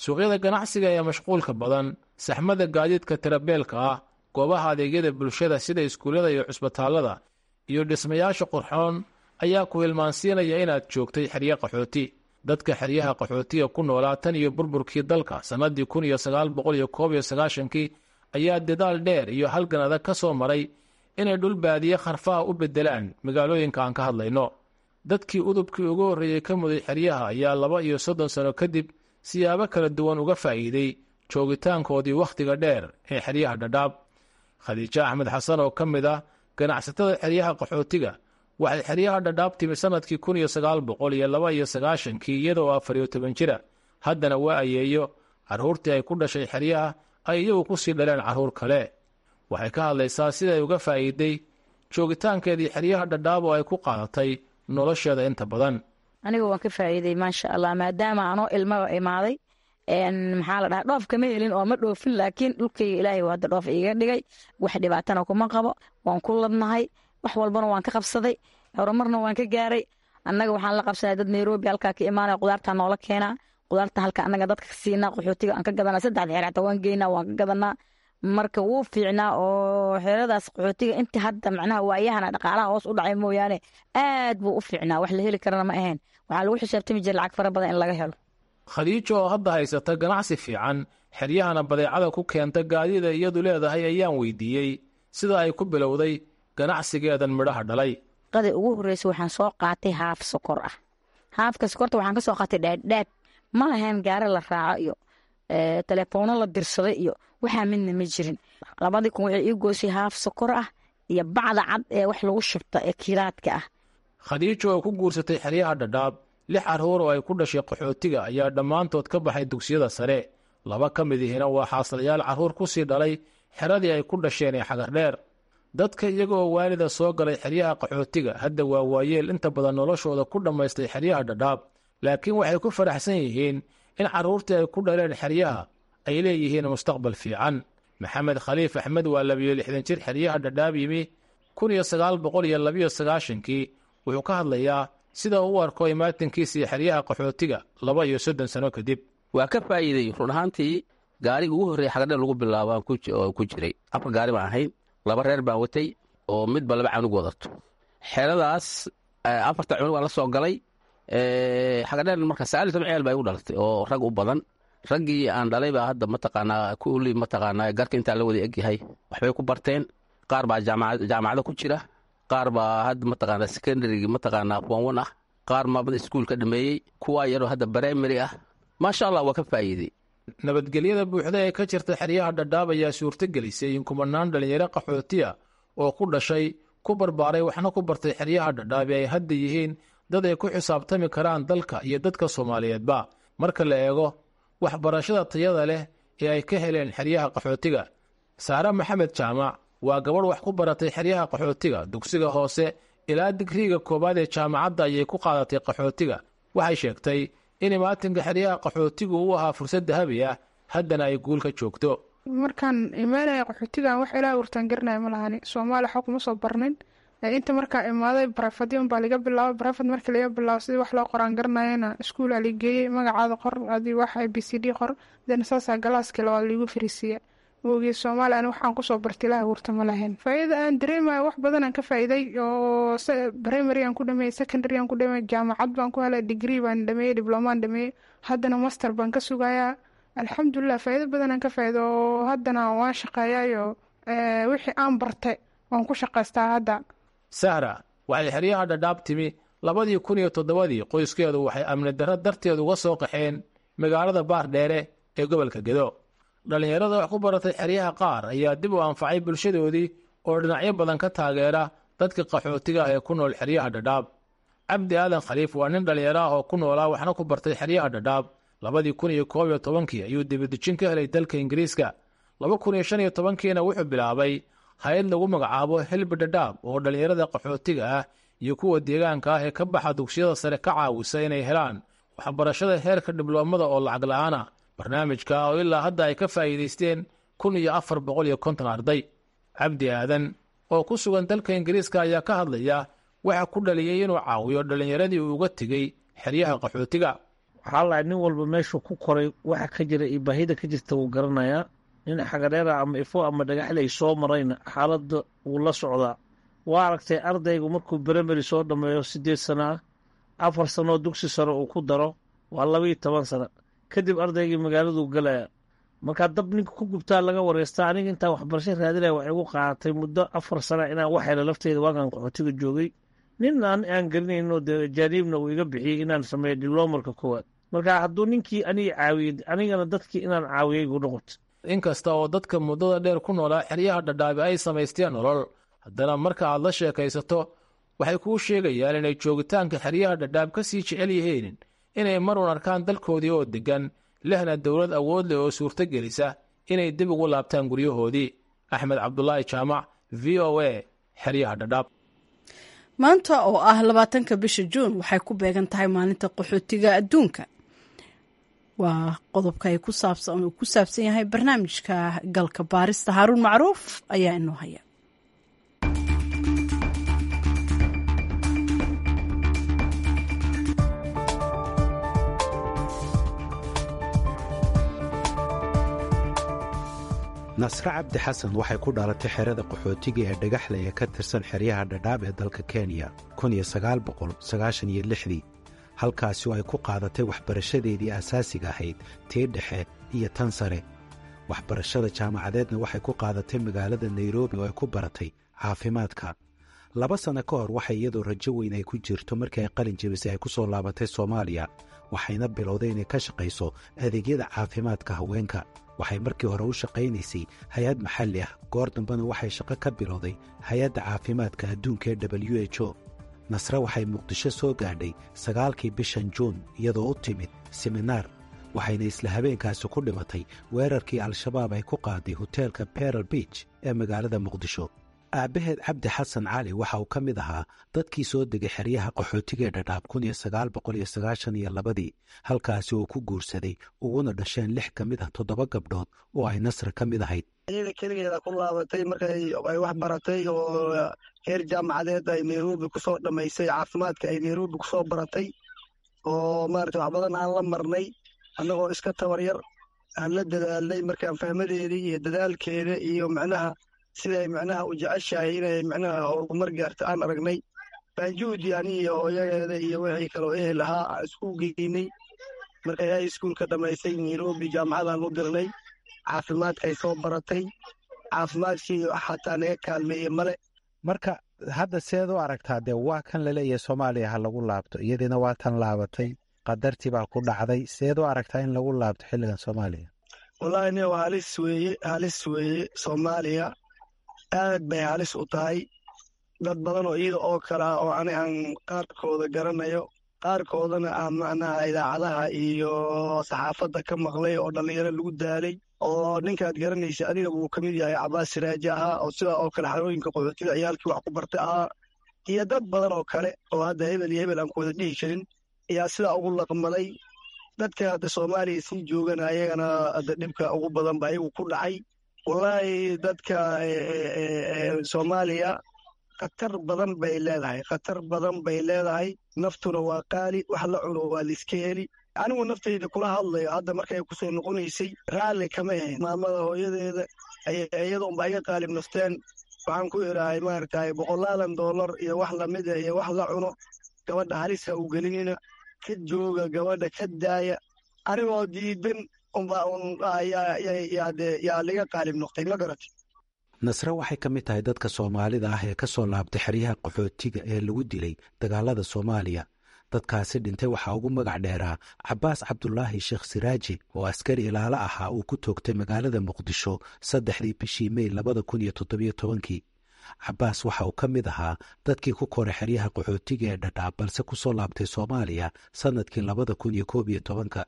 Suuqyada ganacsiga ee mashquulka badan, saxmada gaadiidka tirabeelka ah, goobaha adeegyada bulshada sida iskuullada iyo cusbitaallada, iyo dhismayaasha qurxoon ayaa ku hilmaansiinaya inaad joogtay xeryo qaxooti. Dadka xeryaha qaxootiga ku noolaa tan iyo burburkii dalka sannadii 1991-kii ayaa dadaal dheer iyo halgan adag ka soo maray inay dhul baadiye kharfaha u beddelaan magaalooyinka aan ka hadlayno. Dadkii udubkii ugu horreeyey ka muday xeryaha ayaa 32 sano kadib siyaabo kala duwan uga faa'iiday joogitaankoodii wakhtiga dheer ee xeryaha Dhadhaab. Khadiijo Axmed Xasan oo ka mid ah ganacsatada xeryaha qaxootiga waxay xeryaha Dhadhaab timi sannadkii 1992-kii iyadoo 14 jira. Haddana waa ayeeyo carruurtii ay ku dhashay xeryaha ay iyagu ku sii dhaleen carruur kale. Waxay ka hadlaysaa siday uga faa'iiday joogitaankeedii xeryaha Dhadhaab oo ay ku qaadatay nolosheeda inta badan. Aniga waan ka faa'iiday, maasha Allah, maadaama anoo ilmaba imaaday. Maxaa la dhahaa, dhoof kama helin oo ma dhoofin, laakiin dhulkayga Ilaahay waa hadda dhoof iiga dhigay. Wax dhibaatana kuma qabo, waan ku ladnahay, wax walbana waan ka qabsaday, horumarna waan ka gaaray. Annaga waxaan la qabsanay dad Nairobi halkaa ka imaanaya, qudaartaa noola keenaa, qudaarta halka annaga dadka ka siinaa, qaxootiga aan ka gadanaa. Saddexda xeer xataa waan geynaa, waan ka gadanaa. Marka wuu fiicnaa oo xeeradaas qaxootiga inta hadda macnaha waayahana dhaqaalaha hoos u dhacay mooyaane aad buu u fiicnaa. Wax la heli karana ma ahayn, waxaa lagu xisaabtami jiray lacag fara badan in laga helo. Khadiijo oo hadda haysata ganacsi fiican, xeryahana badeecada ku keenta gaadida iyadu leedahay, ayaan weydiiyey sida ay ku bilowday ganacsigeedan midhaha dhalay. Qada ugu horreysa waxaan soo qaatay haaf sokor ah. Haafka sokorta waxaan ka soo qaatay Dhaadhaab. Ma lahayn gaari la raaco iyo teleefoono la dirsaday iyo waxaa midna ma jirin. 2000 waxay ii goysay haaf sokor ah iyo bacda cad ee wax lagu shubta ee kiilaadka ah. Khadiijo oo ku guursatay xeryaha Dhadhaab, lix carruur oo ay ku dhashay qaxootiga ayaa dhammaantood ka baxay dugsiyada sare. Laba ka mid ihina waa xaaslayaal carruur ku sii dhalay xeradii ay ku dhasheen ee Xagardheer. Dadka iyaga oo waalida soo galay xeryaha qaxootiga hadda waa waayeel inta badan noloshooda ku dhammaystay xeryaha Dhadhaab, laakiin waxay ku faraxsan yihiin in carruurtii ay ku dhaleen xeryaha ay leeyihiin mustaqbal fiican. Maxamed Khaliif Axmed waa 62 jir xeryaha Dhadhaab yimi 1992-kii. Wuxuu ka hadlayaa sida uu u arko imaatinkiisii xeryaha qaxootiga 32 sano kadib. Waa ka faa'iiday run ahaantii. Gaariga ugu horreeya Xagardheer lagu bilaabo aan ku jiray. Afar gaari baan ahayn, laba reer baan watay oo midba laba canug wadato. Xeradaas afarta cunug aan la soo galay Xagardheer. Marka 19 ceel baa igu dhalatay oo rag u badan. Raggii aan dhalay baa hadda mataqaanaa kulli mataqaanaa garka intaa la wada egyahay waxbay ku barteen. Qaar baa jaamacado ku jira, qaar baa hadda mataqaanaa secondary mataqaanaa form one ah, qaar maamada iskuulka dhameeyey, kuwaa yaroo hadda primary ah. Maasha Allah, waa ka faa'iiday. Nabadgelyada buuxda ee ka jirta xeryaha Dhadhaab ayaa suurtogelisay in kumanaan dhallinyaro qaxootiya oo ku dhashay, ku barbaaray, waxna ku bartay xeryaha Dhadhaab ay hadda yihiin dad ay ku xisaabtami karaan dalka iyo dadka Soomaaliyeedba, marka la eego waxbarashada tayada leh ee ay ka heleen xeryaha qaxootiga. Saare Maxamed Jaamac waa gabadh wax ku baratay xeryaha qaxootiga. Dugsiga hoose ilaa digriiga koowaad ee jaamacadda ayay ku qaadatay qaxootiga. Waxay sheegtay in imaatinka xeryaha qaxootigu u ahaa fursad dahabi ah, haddana ay guul ka joogto. Markaan imaanaya qaxootigan, wax ilaa wurtaan garanaya ma lahani. Soomaaliya waxba kuma soo barnin. Inta markaa imaaday private unbaa laga bilaabo. Private markii laga bilaabo, sidii wax loo qoraan garanayana, iskuulaa la geeyey. Magacaada qor, adii wax a b c d qor, then saasaa classkii labaad liigu fariisiiya. Moogii Soomaaliya ani waxaan kusoo bartay ilaha wurta ma lahayn. Faa'iida aan dareemayo, wax badan aan ka faa'iiday oo primary aan ku dhameeyey, secondary aan ku dhameeyey, jaamacad baan ku helay, degree baan dhameeyey, diplomaan dhameeyey, haddana master baan ka sugayaa. Alxamdulilah, faa'iido badan aan ka faa'iido oo haddana waan shaqeeyaayo, wixii aan bartay waan ku shaqaystaa hadda. Sahra waxay xeryaha Dhadhaab timi 2007-dii. Qoyskeedu waxay amni darro darteed uga soo qaxeen magaalada Baardheere ee gobolka Gedo. Dhallinyarada wax ku baratay xeryaha qaar ayaa dib u anfacay bulshadoodii oo dhinacyo badan ka taageera dadka qaxootiga ah ee ku nool xeryaha Dhadhaab. Cabdi Aadan Khaliif waa nin dhallinyaro ah oo ku noolaa waxna ku bartay xeryaha Dhadhaab. 2011-kii ayuu dibadejin ka helay dalka Ingiriiska. 2015-kiina wuxuu bilaabay hay-ad lagu magacaabo Help Dhadhaab oo dhallinyarada qaxootiga ah iyo kuwa deegaanka ah ee ka baxa dugsiyada sare ka caawisa inay helaan waxbarashada heerka dibloomada oo lacag la-aan ah. Barnaamijka oo ilaa hadda ay ka faa'iidaysteen 1450 arday. Cabdi Aadan oo ku sugan dalka Ingiriiska ayaa ka hadlaya waxa ku dhaliyey inuu caawiyo dhallinyaradii uu uga tegey xeryaha qaxootiga. Waxaa lahay nin walba meeshuu ku koray waxa ka jira iyo baahida ka jirta wuu garanayaa. Nin Xagadheera ama Ifo ama Dhagaxley soo marayna xaaladda wuu la socdaa. Waa aragtay, ardaygu markuu primary soo dhammeeyo 8 sana ah, 4 sanoo dugsi sare uu ku daro, waa 12 sano kadib ardaygii magaaladuu galaya. Markaa dab ninka ku gubtaa laga wareystaa. Aniga intaan waxbarasho raadinaya waxay igu qaadatay muddo 4 sana inaan wax helo lafteyda. Waagaan qaxootiga joogay, nin aan garanayno dee ajaaniibna uu iga bixiyey inaan sameeyo diblomarka koowaad. Marka hadduu ninkii aniga caawiyey, anigana dadkii inaan caawiyey igu noqoto. Inkasta oo dadka muddada dheer ku noolaa xeryaha Dhadhaabi ay samaysteen nolol, haddana marka aad la sheekaysato waxay kuu sheegayaan inay joogitaanka xeryaha Dhadhaab ka sii jecel yihiin inay marun arkaan dalkoodii oo deggan, lehna dowlad awood leh oo suurto gelisa inay dib ugu laabtaan guryahoodii. Axmed Cabdulaahi Jaamac, VOA, xeryaha Dhadhaab. Maanta oo ah 20-ka bisha Juun waxay ku beegan tahay maalinta qaxootiga adduunka. Waa qodobka ay ku saabsan yahay barnaamijka galka baarista. Haaruun Macruuf ayaa inoo haya. Nasre Cabdi Xasan waxay ku dhalatay xerada qaxootiga ee Dhagaxle ee ka tirsan xeryaha Dhadhaab ee dalka Kenya dii. Halkaasi oo ay ku qaadatay waxbarashadeedii asaasiga ahayd, tii dhexe iyo tan sare. Waxbarashada jaamacadeedna waxay ku qaadatay magaalada Nairobi oo ay ku baratay caafimaadka. 2 sano ka hor, waxay iyadoo rajo weyn ay ku jirto markii ay qalin jebisay ay ku soo laabatay Soomaaliya, waxayna bilowday inay ka shaqayso adeegyada caafimaadka haweenka. Waxay markii hore u shaqaynaysay hay-ad maxalli ah, goor dambena waxay shaqo ka bilowday Hay-adda Caafimaadka Adduunka ee WHO. Nasre waxay Muqdisho soo gaadhay 9-kii bishan Juun iyadoo u timid siminaar, waxayna isla habeenkaasi ku dhimatay weerarkii Al-Shabaab ay ku qaaday hoteelka Pearl Beach ee magaalada Muqdisho. Aabbaheed Cabdi Xasan Cali waxa uu ka mid ahaa dadkii soo degay xeryaha qaxootiga ee Dhadhaab 1992-dii, halkaasi uu ku guursaday uguna dhasheen lix ka mid ah toddoba gabdhood oo ay Nasra ka mid ahayd. Iyada keligeeda ku laabatay markay ay wax baratay oo heer jaamacadeed ay Nairobi kusoo dhammaysay, caafimaadka ay Nairobi kusoo baratay, oo maarata wax badan aan la marnay annagoo iska tabar yar aan la dadaalnay. Markaan fahmadeedii iyo dadaalkeeda iyo macnaha siday macnaha u jeceshahay inay macnaha horumar gaarto aan aragnay, baanjuudi ani iyo hooyadeeda iyo wixii kaloo ehel ahaa aan isku geynay. Markay high schoolka dhammaysay Nairobi, jaamacadaan u dirnay, caafimaadkay soo baratay. Caafimaadkii xataa naga kaalmeeye male. Marka hadda seed u aragtaa? Dee waa kan laleeyahay Soomaaliya ha lagu laabto, iyadiina waa tan laabatay, qadartii baa ku dhacday. Seed u aragtaa in lagu laabto xilligan Soomaaliya? Wallaahi nin, waa halis weeye, halis weeye. Soomaaliya aad bay halis u tahay. Dad badan oo iyada oo kale ah oo ani aan qaarkooda garanayo, qaarkoodana aan macnaha idaacadaha iyo saxaafadda ka maqlay, oo dhallinyaro lagu daalay, oo ninkaad garanaysa adiga wuu ka mid yahay, Cabaas Siraaji ahaa, oo sidaa oo kale xarooyinka qaxootiga ciyaalkii wax ku bartay ahaa, iyo dad badan oo kale oo hadda hebel iyo hebel aan ku wada dhihi karin ayaa sidaa ugu laqmaday. Dadka hadda Soomaaliya sii joogana ayagana hadda dhibka ugu badan ba ayagu ku dhacay. Wallaahi dadka Soomaaliya khatar badan bay leedahay, khatar badan bay leedahay. Naftuna waa qaali, wax la cuno waa laiska heli. Anigu naftayda kula hadlayo, hadda markay kusoo noqonaysay raalli kama ahayn. Maamada hooyadeeda iyada unba iga qaalib nafteen. Waxaan ku idhahay, maaragtay, boqolaadan dollar iyo wax lamida iyo wax la cuno gabadha halisa u gelinina, ka jooga gabadha, ka daaya. Anigoo diidan unbaa un yaa liga qaalib noqtay, ma garatay? Nasre waxay ka mid tahay dadka Soomaalida ah ee ka soo laabtay xeryaha qaxootiga ee lagu dilay dagaalada Soomaaliya. Dadkaasi dhintay waxaa ugu magac dheeraa Cabaas Cabdulaahi Sheekh Siraaji, oo askari ilaalo ahaa uu ku toogtay magaalada Muqdisho 3-dii bishii Mey 2017-kii. Cabaas waxa uu ka mid ahaa dadkii ku koray xeryaha qaxootiga ee Dhadhaab, balse ku soo laabtay Soomaaliya sannadkii 2011-ka.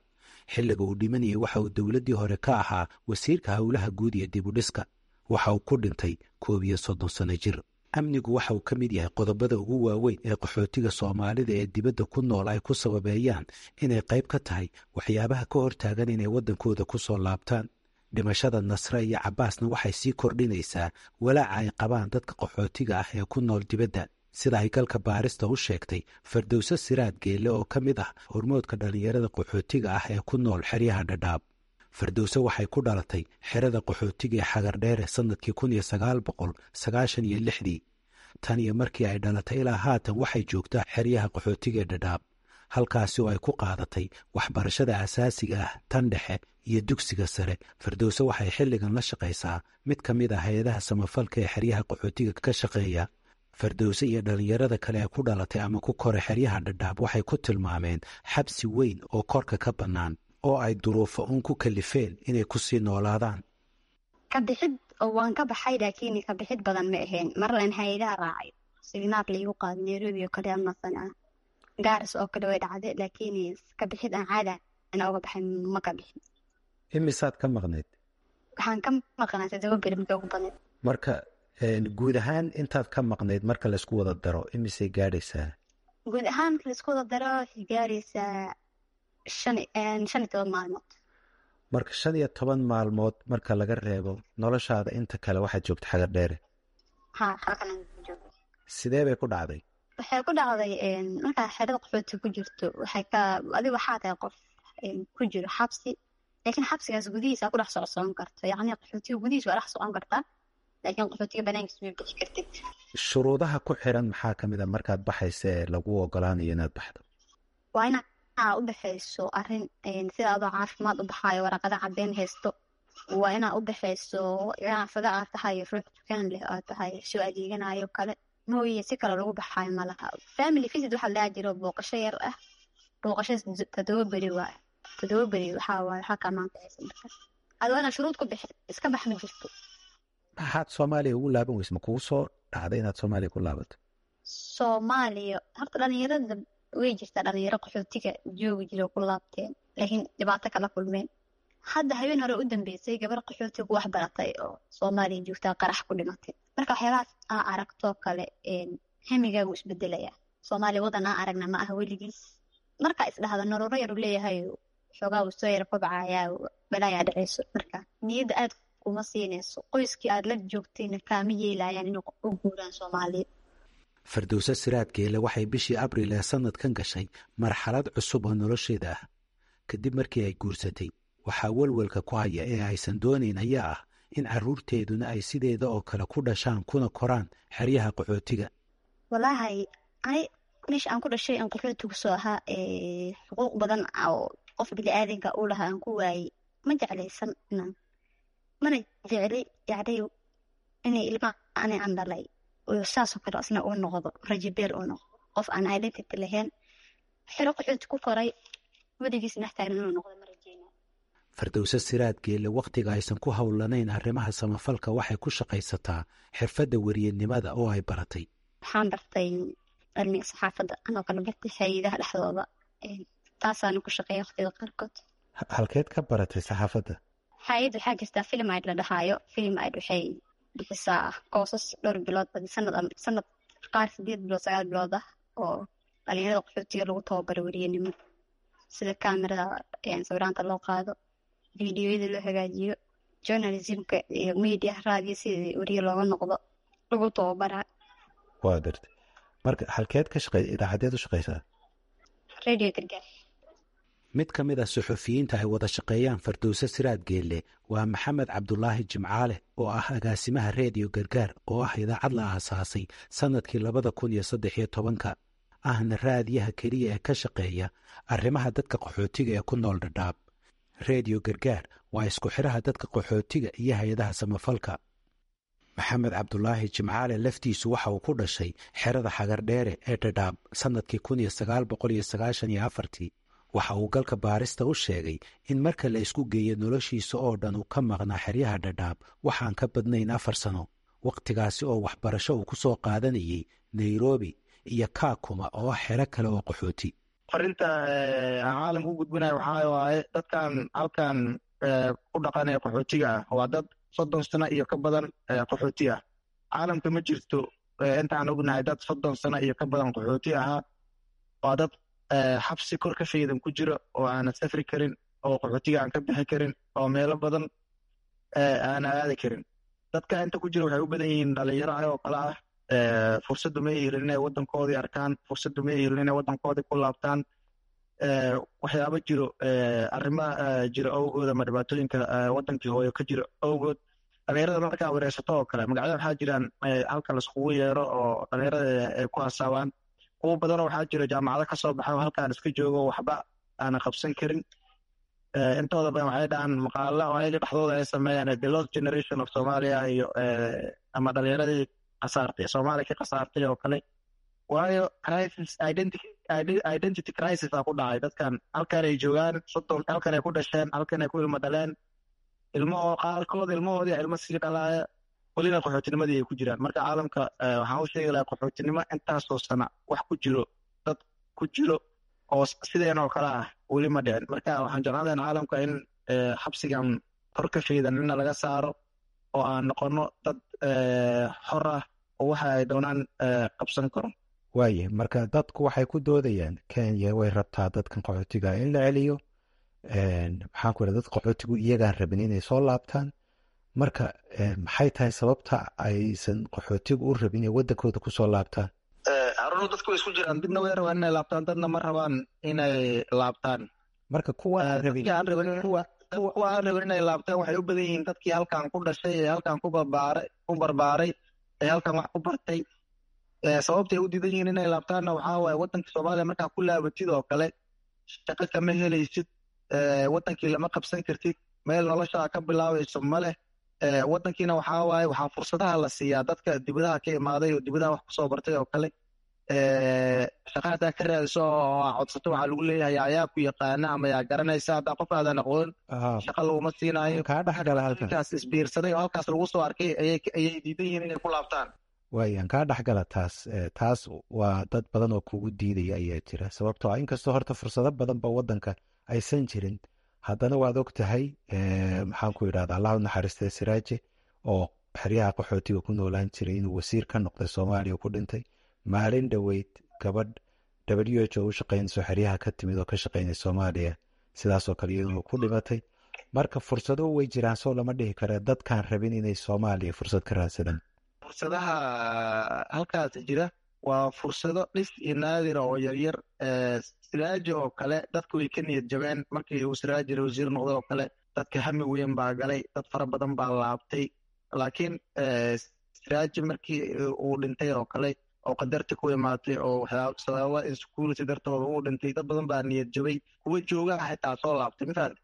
Xilliga uu dhimanayay waxa uu dowladdii hore ka ahaa wasiirka howlaha guud iyo dibudhiska. Waxa uu ku dhintay 31 sano jir. Amnigu waxa uu ka mid yahay qodobada ugu waaweyn ee qaxootiga Soomaalida ee dibadda ku nool ay ku sababeeyaan inay qayb ka tahay waxyaabaha ka hortaagan inay waddankooda ku soo laabtaan. Dhimashada Nasre iyo Cabaasna waxay sii kordhinaysaa walaaca ay qabaan dadka qaxootiga ah ee ku nool dibadda, sida ay galka baarista u sheegtay Fardowse Siraad Geelle, oo ka mid ah hormoodka dhallinyarada qaxootiga ah ee ku nool xeryaha Dhadhaab. Fardowse waxay ku dhalatay xerada qaxootiga ee Xagardheere sannadkii 1996-dii. Tan iyo markii ay dhalatay ilaa haatan waxay joogtaa xeryaha qaxootiga ee Dhadhaab, halkaasi oo ay ku qaadatay waxbarashada asaasiga ah, tan dhexe iyo dugsiga sare. Fardowse waxay xilligan la shaqaysaa mid ka mid ah hay-adaha samafalka ee xeryaha qaxootiga ka shaqeeya. Fardowse iyo dhallinyarada kale ee ku dhalatay ama ku koray xeryaha Dhadhaab waxay ku tilmaameen xabsi weyn oo korka ka bannaan oo ay duruufo uun ku kalifeen inay ku sii noolaadaan. Ka bixid oo waan ka baxay, laakiin ka bixid badan ma ahayn. Marlan hay-adaha raacay, siminaar laigu qaaday Nairobi oo kale ama sana Gaaris oo kale way dhacday, laakiin ka bixid aan caada ana uga baxay ma ka bixin. Imisaad ka maqnayd? Waxaan ka maqnaa 7 beri markii ugu badnayd. Marka guud ahaan intaad ka maqnayd marka laysku wada daro imisay gaadhaysaa? Guud ahaan marka laisku wada daro waxay gaaraysaa 15 maalmood. Marka 15 maalmood marka laga reebo, noloshaada inta kale waxaad joogta Xagar Dheere? Ha, halkan aan joogo. Sidee bay ku dhacday? Waxay ku dhacday, markaa xerada qaxooti ku jirto, waxay ka adiga waxaa tahay qof ku jiro xabsi, laakiin xabsigaas gudihiisa ku dhex socsocon karto. Yacni qaxootiga gudihiisa waa dhex socon kartaa, laakiin qaxootiga banaankiisa ma bixi kartid. Shuruudaha ku xiran maxaa ka mid a markaad baxaysa ee lagu ogolaanayo inaad baxdo? Waa inaa u baxayso arrin sida adoo caafimaad u baxaayo, waraqada caddeyn haysto. Waa inaa u baxayso ganacsada aad tahay, ruux dukaan leh aad tahay, soo adeeganayo kale mooye, si kale lagu baxaayo malaha. Family visit waxaa lahaa jiro, booqasho yar ah. Booqasho 7 beri waay. 7 beri waxaa waaye waxaa kaa maanfacaysa. Marka adi waa inaad shuruud ku bixi, iska bax ma jirto. Maxaad Soomaaliya ugu laaban weyse? Ma kugu soo dhacday inaad Soomaaliya ku laabato? Soomaaliya horta dhalinyarada way jirtaa, dhalinyaro qaxootiga joogi jira ku laabteen, laakiin dhibaato kala kulmeen. Hadda habeen hore u dambeysay gabar qaxootiga ku wax baratay oo Soomaaliya joogtaa qarax ku dhimatay. Marka waxyaabahaas aa aragtoo kale, hamigaagu isbedelaya. Soomaaliya wadan aa aragna ma aha weligiis. Marka isdhahda nololo yar uu leeyahay, xoogaa uu soo yara kobcayaa, balaayaa dhaceyso. Marka niyadda aad kuma siinayso, qoyskii aad la joogtayna kaama yeelayaan inuu u guuraan Soomaaliya. Fardowse Siraad Geele waxay bishii Abriil ee sanadkan gashay marxalad cusub oo nolosheeda ah kadib markii ay guursatay. Waxaa welwelka ku haya ee aysan doonayn ayaa ah in carruurteeduna ay sideeda oo kale ku dhashaan kuna koraan xeryaha qaxootiga. Walaahi ani meesha aan ku dhashay aan qaxootigu soo ahaa, xuquuq badan oo qof bini-aadanka uu lahaa aan ku waayey. Ma jeclaysan inaan, mana jecli yacni inay ilmaha ani aan dhalay saasoo kale asna uu noqdo rajabeel, uu noqdo qof aan identity lahayn, xero qaxooti ku koray, weligiis dhex taagan inuu noqdo ma rajeyna. Fardowse Siraad Geelle wakhtiga aysan ku howlanayn arrimaha samafalka waxay ku shaqaysataa xirfadda weriyanimada oo ay baratay. Waxaan bartay cilmiga saxaafadda, anoo kala bartay hay-adaha dhexdooda, taasaana ku shaqeeya waqtiga qaarkood. Halkeed ka baratay saxaafadda? Hay-ad waxaa jirtaa Film Aid la dhahaayo. Film Aid waxay bixisaa koosas dhowr bilood, badi sanad ama sanad, qaar 8 bilood, 9 bilood ah, oo dhalinyarada qaxootiga lagu tababaro weriyanimo, sida kaamirada sawiraanta loo qaado, fiidiyoyada loo hagaajiyo, journalismka iyo media, raadiyo, sidii weriye looga noqdo lagu tababaraa. Waa gartay. Marka halkeed ka shaqey, idaacadeed u shaqeysaa? Radio Gargaar. Mid ka mid ah suxufiyiinta ay wada shaqeeyaan Fardowse Siraad Geelle waa Maxamed Cabdulaahi Jimcaale oo ah agaasimaha Reediyo Gargaar, oo ah idaacad la aasaasay sannadkii 2013-ka, ahna raadiyaha keliya ee ka shaqeeya arrimaha dadka qaxootiga ee ku nool Dhadhaab. Reediyo Gargaar waa isku xidhaha dadka qaxootiga iyo hay-adaha samafalka. Maxamed Cabdulaahi Jimcaale laftiisu waxa uu ku dhashay xerada Xagardheere ee Dhadhaab sannadkii 1994-tii. Waxa uu galka baarista u sheegay in marka la isku geeyo noloshiisa oo dhan uu ka maqnaa xeryaha Dhadhaab waxaan ka badnayn 4 sano, wakhtigaasi oo waxbarasho uu ku soo qaadanayay Nairobi iyo Kaakuma oo ah xero kale oo qaxooti. Farinta aan caalamka u gudbinayo waxaa waaye, dadkan halkan ku dhaqanaya qaxootiga ah waa dad 30 sano iyo ka badan qaxooti ah. Caalamka ma jirto intaan ognahay dad 30 sano iyo ka badan qaxooti ahaa. Waa dad xabsi kor ka faydan ku jiro oo aanan safri karin, oo qaxootiga aan ka bixi karin, oo meelo badan aanan aadi karin. Dadka inta ku jira waxay u badan yihiin dhalinyaro ayagoo kale ah. Fursaddu ma helin inay waddankoodii arkaan, fursaddu ma helin inay waddankoodii ku laabtaan. Waxyaabo jiro, arrimo jiro awgood ama dhibaatooyinka waddankii hooyo ka jiro awgood. Dhalinyarada markaa wareysato oo kale, magacyada waxaa jiraan halka laiskugu yeero oo dhalinyarada ay ku hasaabaan. Kuwo badanoo waxaa jiro jaamacado ka soo baxa oo halkaan iska joogo, waxba aanan qabsan karin. Intooda badan waxay dhahaan maqaala oo ayaga dhexdooda ay sameeyaan "the lost generation of Somalia" iyo ama dhalinyaradii khasaartay, Soomaaliya ka khasaartay oo kale. Waayo crisis identity crisis aa ku dhacay dadkan. Halkan ay joogaan 30, halkan ay ku dhasheen, halkan ay ku ilmo dhaleen, ilmahoo qaarkood ilmahoodii ilmo sii dhalaaya, welina qaxootinimadii ay ku jiraan. Marka caalamka waxaan u sheegi lahaa, qaxootinimo intaasoo sana wax ku jiro, dad ku jiro oo sideen oo kale ah weli ma dhicin. Marka waxaan jeclaan lahaa caalamka in xabsigan kor ka faydan inna laga saaro oo aan noqono dad xor ah oo waxa ay doonaan qabsan karo. Waaye marka dadku waxay ku doodayaan Kenya way rabtaa dadkan qaxootiga in la celiyo. Maxaan ku dad qaxootigu iyagaan rabin inay soo laabtaan. Marka maxay tahay sababta aysan qaxootigu u rabin inay waddankooda kusoo laabtaan? Harunu, dadku way isku jiraan. Dadna way rabaan inay laabtaan, dadna ma rabaan inay laabtaan. Marka kuwa aan rabin? Kuwa aan rabin inay laabtaan waxay u badan yihiin dadkii halkan ku dhashay ee halkan ku barbaaray ee halkan wax ku bartay. Sababtay u diidan yihiin inay laabtaanna waxaa waaye, waddanka Soomaaliya markaa ku laabatid oo kale Shaqo kama helaysid, waddankii lama qabsan kartid, meel noloshaa ka bilaabayso ma leh. Waddankiina waxaa waaye waxaa fursadaha la siiyaa dadka dibadaha ka imaaday oo dibadaha wax kusoo bartay oo kale. Shaqa haddaa ka raadiso oo aa codsato, waxaa lagu leeyahay ayaa ku yaqaana ama yaa garanaysa. Haddaa qof aadan aqoon, shaqa laguma siinaayo. Kaa dhexgala halkan. Halkaas isbiirsaday oo halkaas lagu soo arkay ayay diidan yihiin inay ku laabtaan. Waayaan kaa dhexgala taas. Taas waa dad badan oo kugu diidaya ayaa jira, sababtoo ah inkastoo horta fursado badan ba wadanka aysan jirin, haddana waad og tahay, maxaan ku idhahda, Allah u naxariistay Siraaje oo xeryaha qaxootiga ku noolaan jiray inuu wasiir ka noqday Soomaaliya ku dhintay. Maalin dhoweyd gabadh WHO u shaqeynayso xeryaha ka timid oo ka shaqeynay Soomaaliya sidaasoo kale iyaduna ku dhimatay. Marka fursado way jiraan, soo lama dhihi kare dadkaan rabin inay Soomaaliya fursad ka raadsadaan? Fursadaha halkaas jira waa fursado dhif iyo naadira oo yaryar. Siraaji oo kale dadku way ka niyad jabeen markii uu Siraaji wasiir noqday oo kale. Dadka hami weyn baa galay, dad fara badan baa laabtay, laakiin Siraaji markii uu dhintay oo kale oo qadarta ku imaatay oo waxyaaba sababa insecurity dartooda uu dhintay, dad badan baa niyad jabay, kuwa joogaha xitaa soo laabtay, mafahante?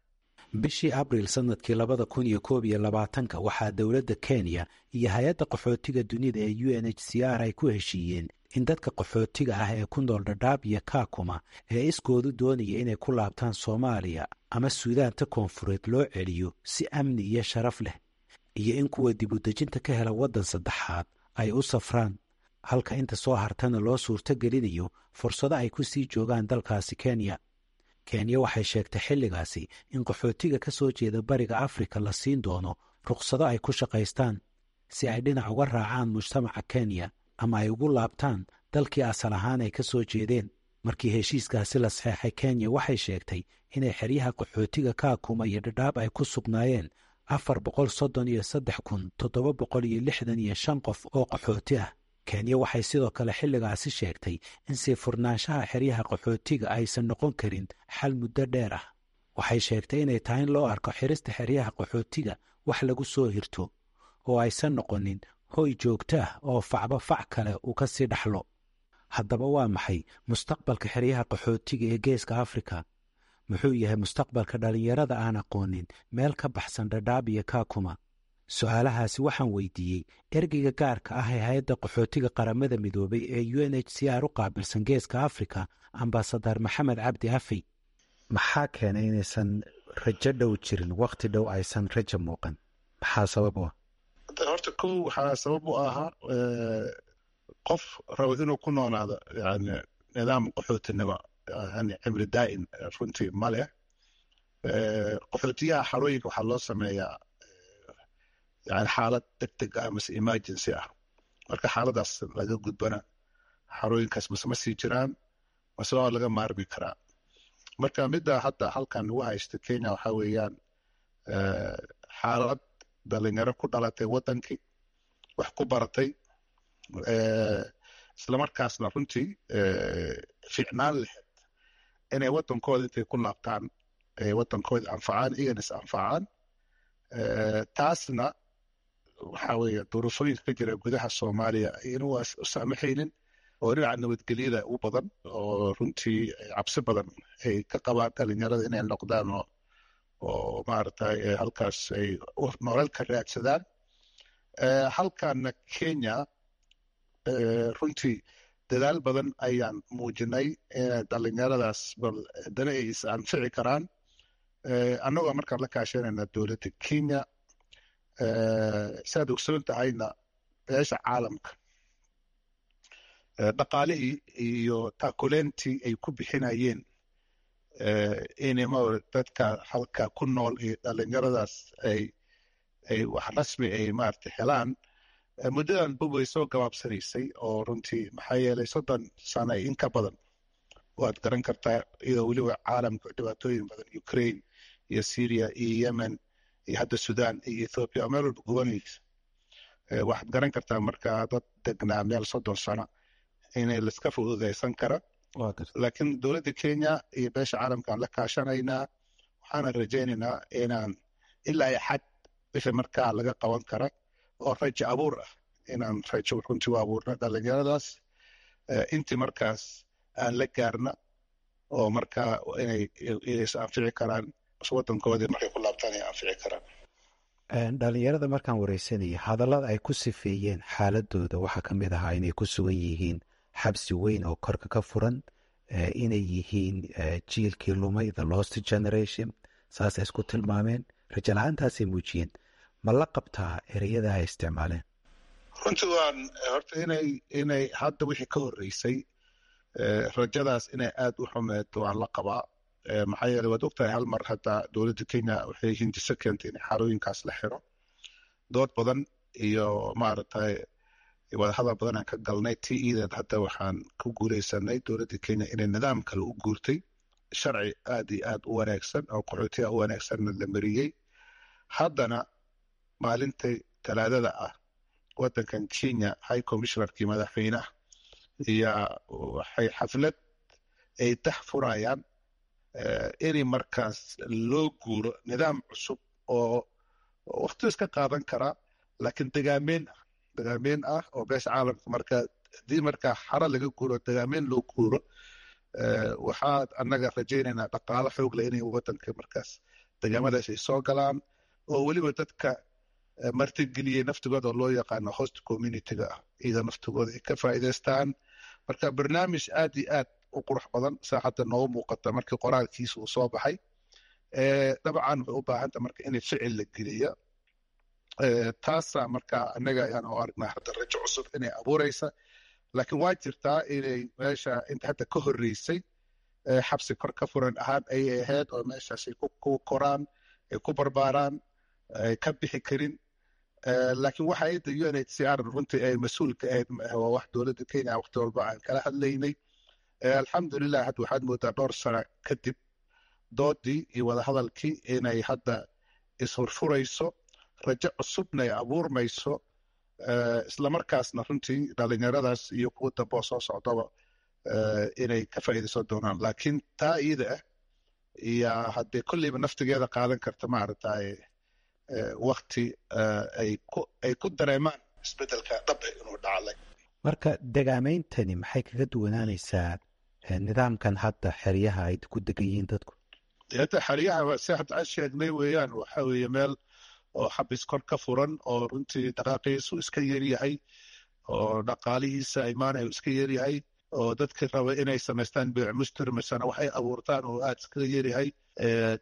Bishii Abriil sanadkii 2021-ka waxaa dowladda Kenya iyo hay-adda qaxootiga dunida ee UNHCR ay ku heshiiyeen in dadka qaxootiga ah ee ku nool Dhadhaab iyo Kaakuma ee iskoodu doonaya inay ku laabtaan Soomaaliya ama Suudaanta Koonfureed loo celiyo si amni iyo sharaf leh, iyo in kuwa dibudejinta ka hela waddan saddexaad ay u safraan, halka inta soo hartana loo suurto gelinayo fursado ay ku sii joogaan dalkaasi Kenya. Kenya waxay sheegtay xilligaasi in qaxootiga ka soo jeeda Bariga Afrika la siin doono rukhsado ay ku shaqaystaan si ay dhinac uga raacaan mujtamaca Kenya ama ay ugu laabtaan dalkii asal ahaan ay ka soo jeedeen. Markii heshiiskaasi la saxeexay, Kenya waxay sheegtay inay xeryaha qaxootiga Kaakuma iyo Dhadhaab ay ku sugnaayeen 433,765 qof oo qaxooti ah. Kenya waxay sidoo kale xilligaasi sheegtay in sii furnaanshaha xeryaha qaxootiga aysan noqon karin xal muddo dheer ah. Waxay sheegtay inay tahay in loo arko xirista xeryaha qaxootiga wax lagu soo hirto oo aysan noqonin hoy joogto ah oo facba fac kale uu ka sii dhaxlo. Haddaba waa maxay mustaqbalka xeryaha qaxootiga ee Geeska Afrika? Muxuu yahay mustaqbalka dhallinyarada aan aqoonin meel ka baxsan Dhadhaab iyo Kaakuma? Su-aalahaasi waxaan weydiiyey ergeyga gaarka ah ee hay-adda qaxootiga Qaramada Midoobay ee UNHCR u qaabilsan Geeska Afrika, ambasadar Maxamed Cabdi Afey. Maxaa keenay inaysan rajo dhow jirin, wakhti dhow aysan rajo muuqan? Maxaa sabab u ah? Horta kow, waxaa sabab u ahaa qof rabo inuu ku noolaado yani nidaam qaxootinimo yani cimri daa'im runtii ma leh. Qaxootiyaha xarooyinka waxaa loo sameeyaa yani xaalad degdeg ah mase emergency ah. Marka xaaladaas laga gudbana, xarooyinkaas mase ma sii jiraan mase waa laga maarmi karaa. Marka midda hadda halkan lagu haysto Kenya waxaa weeyaan xaalad dhalinyaro ku dhalatay wadankii, wax ku baratay, islamarkaasna runtii fiicnaan lahayd inay wadankooda intay ku laabtaan ay wadankooda anfacaan, iyagana is anfacaan. Taasna waxaa weeye duruufooyinka ka jira gudaha Soomaaliya inuu u saamaxaynin oo dhinaca nabadgelyada u badan oo runtii cabsi badan ay ka qabaan dhalinyarada inay noqdaan oo maaragtay halkaas ay nolol ka raadsadaan. Halkana Kenya runtii dadaal badan ayaan muujinay dhalinyaradaas bal haddana ay is anfici karaan, annagoo markaan la kaashanayna dowladda Kenya. Saad ogsoon tahayna, beesha caalamka dhaqaalihii iyo taakuleentii ay ku bixinayeen inay dadka halka ku nool iyo dhalinyaradaas ay wax rasmi ay maarata helaan muddadan bub way soo gabaabsanaysay oo runtii maxaa yeelay 30 sano in ka badan waad garan kartaa, iyadoo weliba caalamka dhibaatooyin badan, Ukraine iyo Syria iyo Yemen iyo hadda Sudan iyo Ethiopia oo meel walba gubanaysa, waxaad garan kartaa marka dad degnaa meel 30 sano inay laiska fududaysan kara. Laakiin dowladda Kenya iyo beesha caalamkaan la kaashanaynaa, waxaana rajaynaynaa inaan ilaa iyo xad wixii markaa laga qaban kara oo rajo abuur ah inaan rajo runtii u abuurno dhalinyaradaas, intii markaas aan la gaarna oo marka inay is anfici karaan wadankoodii markay ku laabtaan ay anfici karaan. Dhalinyarada markaan wareysanayay hadallada ay ku sifeeyeen xaaladooda waxaa ka mid ahaa inay ku sugan yihiin xabsi weyn oo korka ka furan, inay yihiin jiilkii lumay, the lost generation, saasay isku tilmaameen, rajo la-aantaasay muujiyeen. Ma la qabtaa ereyada ay isticmaaleen? Runtii waan horta inay hadda wixii ka horreysay rajadaas inay aad u xumeed waan la qabaa. Maxaa yeeley waad ogtahay hal mar hadda dowladda Kenya waxay hindiso keentay in xarooyinkaas la xiro. Dood badan iyo maaragtay wadahadal badan aan ka galnay ti iideed, hadda waxaan ku guuleysanay dowladda Kenya inay nidaam kale u guurtay, sharci aad iyo aad u wanaagsan oo qaxootiga u wanaagsanna la mariyey. Haddana maalintay Talaadada ah wadankan Kenya high commissionerkii madaxweynaha iyo waxay xaflad ay dax furayaan inay markaas loo guuro nidaam cusub oo waqti iska qaadan karaa, laakiin degaameyn ah, degaameyn ah oo beesha caalamka. Marka haddii markaa xara laga guuro degaameyn loo guuro, waxaa annaga rajaynaynaa dhaqaalo xoog leh inay wadanka markaas degaamadaas ay soo galaan, oo weliba dadka martigeliyey naftigooda oo loo yaqaano host community-ga ah iyada naftigooda ay ka faa'iidaystaan. Marka barnaamij aad iyo aad u qurux badan saaxadda noogu muuqata markii qoraalkiisa uu soo baxay. Dabcan waxay u baahanta marka inay ficil la geliya. Taasa marka annaga ayaan u aragnaa hadda rajo cusub inay abuureysa, laakiin waa jirtaa inay meesha inta hadda ka horreysay xabsi kor ka furan ahaan ayay ahayd, oo meeshaas ay ku koraan, ay ku barbaaraan, ay ka bixi karin. Laakiin waxa ayadda UNHCR runtii ay mas-uul ka ahayd waa wax dowladda Kenya waqti walba aan kala hadlaynay. Alxamdulilah, hadda waxaad moodaa dhowr sano kadib doodii iyo wadahadalkii inay hadda ishurfurayso, rajo cusubna ay abuurmayso, islamarkaasna runtii dhalinyaradaas iyo kuwa dambe oo soo socdaba inay ka faa'iidaysan doonaan. Laakiin taa iyada ah iyo haddee kolleyba naftigeeda qaadan karta maaragtay wakti ay ku dareemaan isbeddelka dhab ah inuu dhaclay. Marka degaameyntani maxay kaga duwanaanaysaa nidaamkan hadda xeryaha ay ku degan yihiin dadku? Hadda xeryaha si hadda aan sheegnay weeyaan, waxa weeye meel oo xabis kor ka furan oo runtii dhaqaaqiisu iska yaryahay, oo dhaqaalihiisa imaanayo iska yaryahay, oo dadka raba inay samaystaan beec mustir masana waxay abuurtaan oo aad iskaga yaryahay,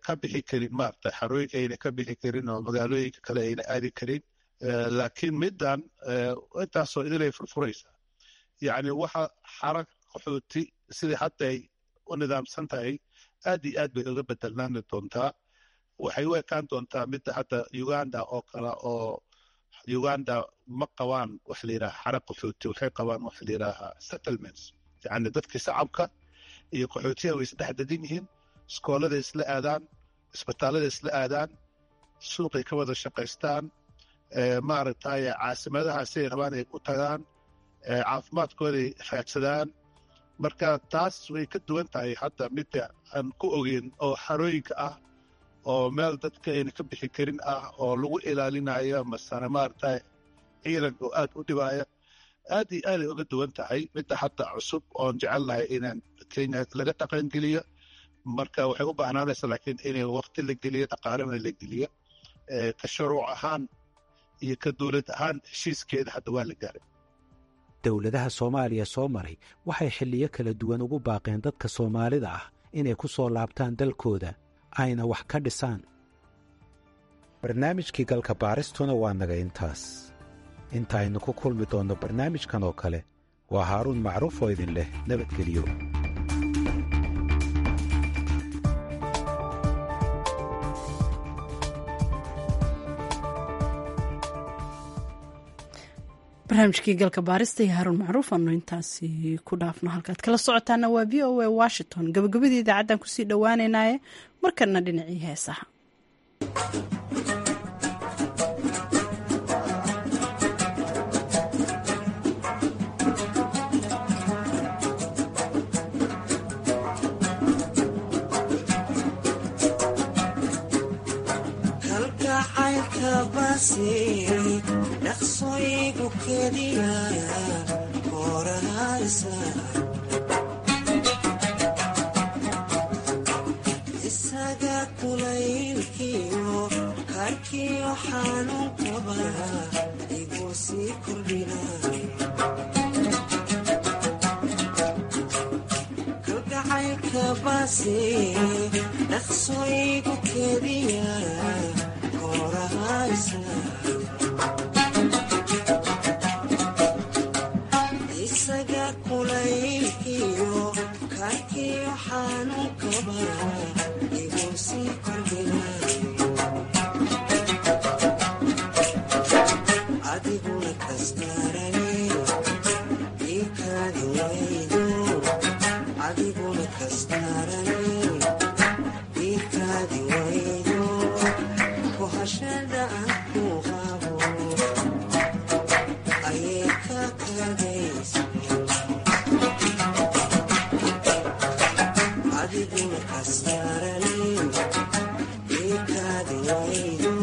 ka bixi karin maarata xarooyinka ayna ka bixi karin oo magaalooyinka kale ayna aadi karin. Laakiin middan intaasoo idilay furfuraysaa, yacni waxa xara qaxooti sidii hadda ay u nidaamsan tahay aad iyo aad bay uga bedelnaani doontaa. Waxay u ekaan doontaa midda hadda Uganda oo kale, oo Uganda ma qabaan wax la yidhaha xara qaxooti, waxay qabaan wax la yidhaaha settlements, yacni dadkii shacabka iyo qaxootiyaha way isdhex degan yihiin, iskoolada isla aadaan, isbitaallada isla aadaan, suuqay ka wada shaqaystaan, maaragtay caasimadaha siday rabaan ay ku tagaan, caafimaadkooday raadsadaan. Marka taas way ka duwan tahay hadda midda aan ku ogeyn oo xarooyinka ah, oo meel dadka ayna ka bixi karin ah, oo lagu ilaalinayo masana maaragtay ciidanka oo aad u dhibaya. Aad iyo aaday uga duwan tahay midda hadda cusub oon jecelnahay inaan Kenya laga dhaqangeliyo. Marka waxay u baahnaanaysaa laakiin inay waqti la geliyo, dhaqaalena la geliyo. Ka shuruuc ahaan iyo ka dowlad ahaan heshiiskeeda hadda waa la gaaray. Dowladaha Soomaaliya soo maray waxay xilliyo kala duwan ugu baaqeen dadka Soomaalida ah inay ku soo laabtaan dalkooda ayna wax ka dhisaan. Barnaamijkii galka baaristuna waa naga intaas. Intaaynu ku kulmi doonno barnaamijkan oo kale, waa Haaruun Macruuf oo idin leh nabadgeliyo. Barnaamijkii galka baarista iyo Haaruun Macruuf aanu intaasi ku dhaafno. Halkaad kala socotaana waa VOA Washington. Gabagabadii idaacaddan kusii dhowaaneynaaye, markana dhinacii heesaha. Dhaqsoygu keliya korahaysa. Kulaylkiyo karkiyo xanuunkaba igu sii kordhina. Kalgacaylka baase dhaqso igu kediya koorahaysa. Isaga kulaylkiyo karkiyo xanuunkaba igu sii kordhina. Adiguna kastarane ikaadi waydo, adiguna kastarane ikaadi waydo, kuhashada aan ku qabo ayay ka kadaysa. Adiguna kastarane ikaadi waydo,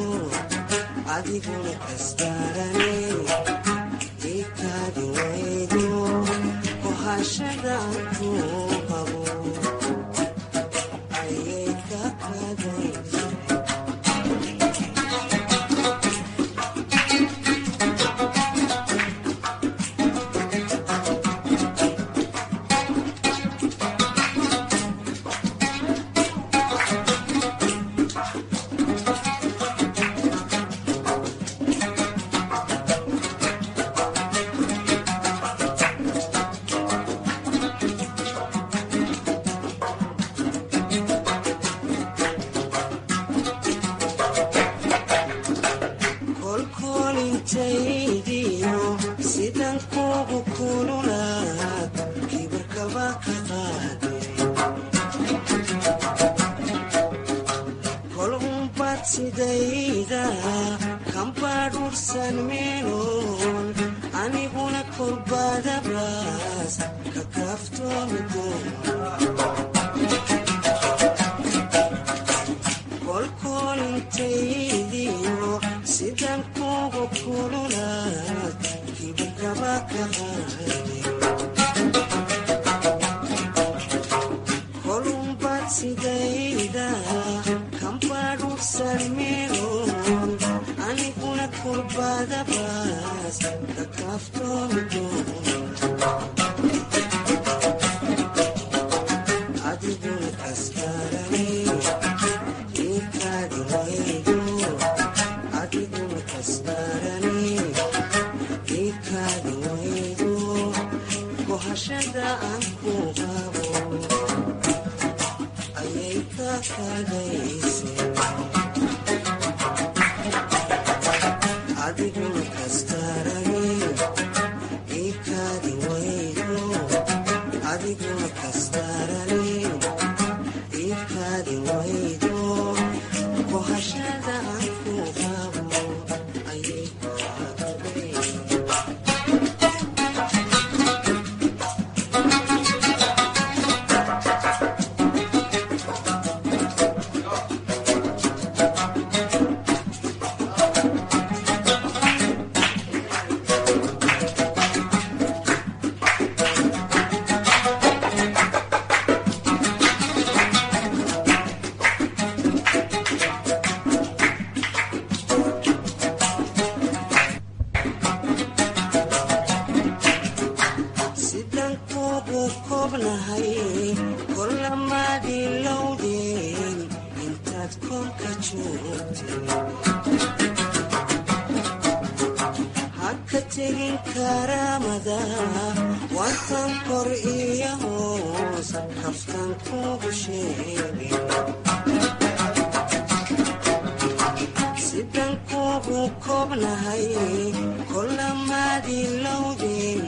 adiguna kastarane ikaadi waydo, kuhashada aan ku qabo ayay ka kadaysa. Kolkolintaydiyo sidan kugu kululaad kibarkaba ka qaade. Kol unbaad sidayda kambaadhursan meeloon, aniguna korbadabaas ka kaaftoomi doon. Kolkolintaydiyo sidan kugu kululaad kibarkaba ka qaade. Kolunbaad sidayda kambaadhursan meeloon, aniguna kurbadabaas ka kaaftoomi doon. Adiguna kastarane ikaadi waydo, adiguna kastarane ikaadi waydo, kuhashada aan ku qabo ayay ka kadaysa. Adiguna kastarane ikaadi waydo, adiguna kastarane ikaadi waydo, kuhashada aan ku qabo ayay ka kadaysa. Sidan kugu koobnahay kolamaadilowdeen intaad koonka joogteen. Haka tegin karaamada waantan kor iyo hoos kaftan kugu sheegay. Sidan kugu koobnahay kolamaadilowdeen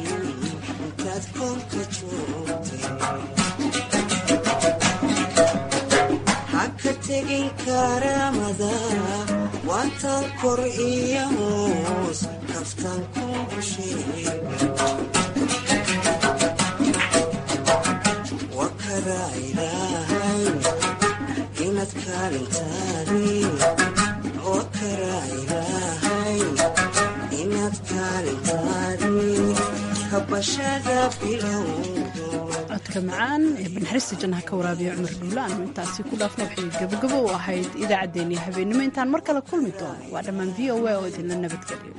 intaad koonka joogteen. Haka tegin karaamada waantan kor iyo hoos kaftan kugu sheegay. Wa karaa ilaahay inaad kaalintaadii, wa karaa ilaahay inaad kaalintaadii kabashada bilowdo. Codka macaan ee banaxariista jannaha ka waraabiya Cumar Dhuule aanu intaasi ku dhaafna waxay gabagabo u ahayd idaacaddeenii habeennimo. Intaan mar kale kulmi doono, waa dhammaan VOA oo idinla nabadgeliyo.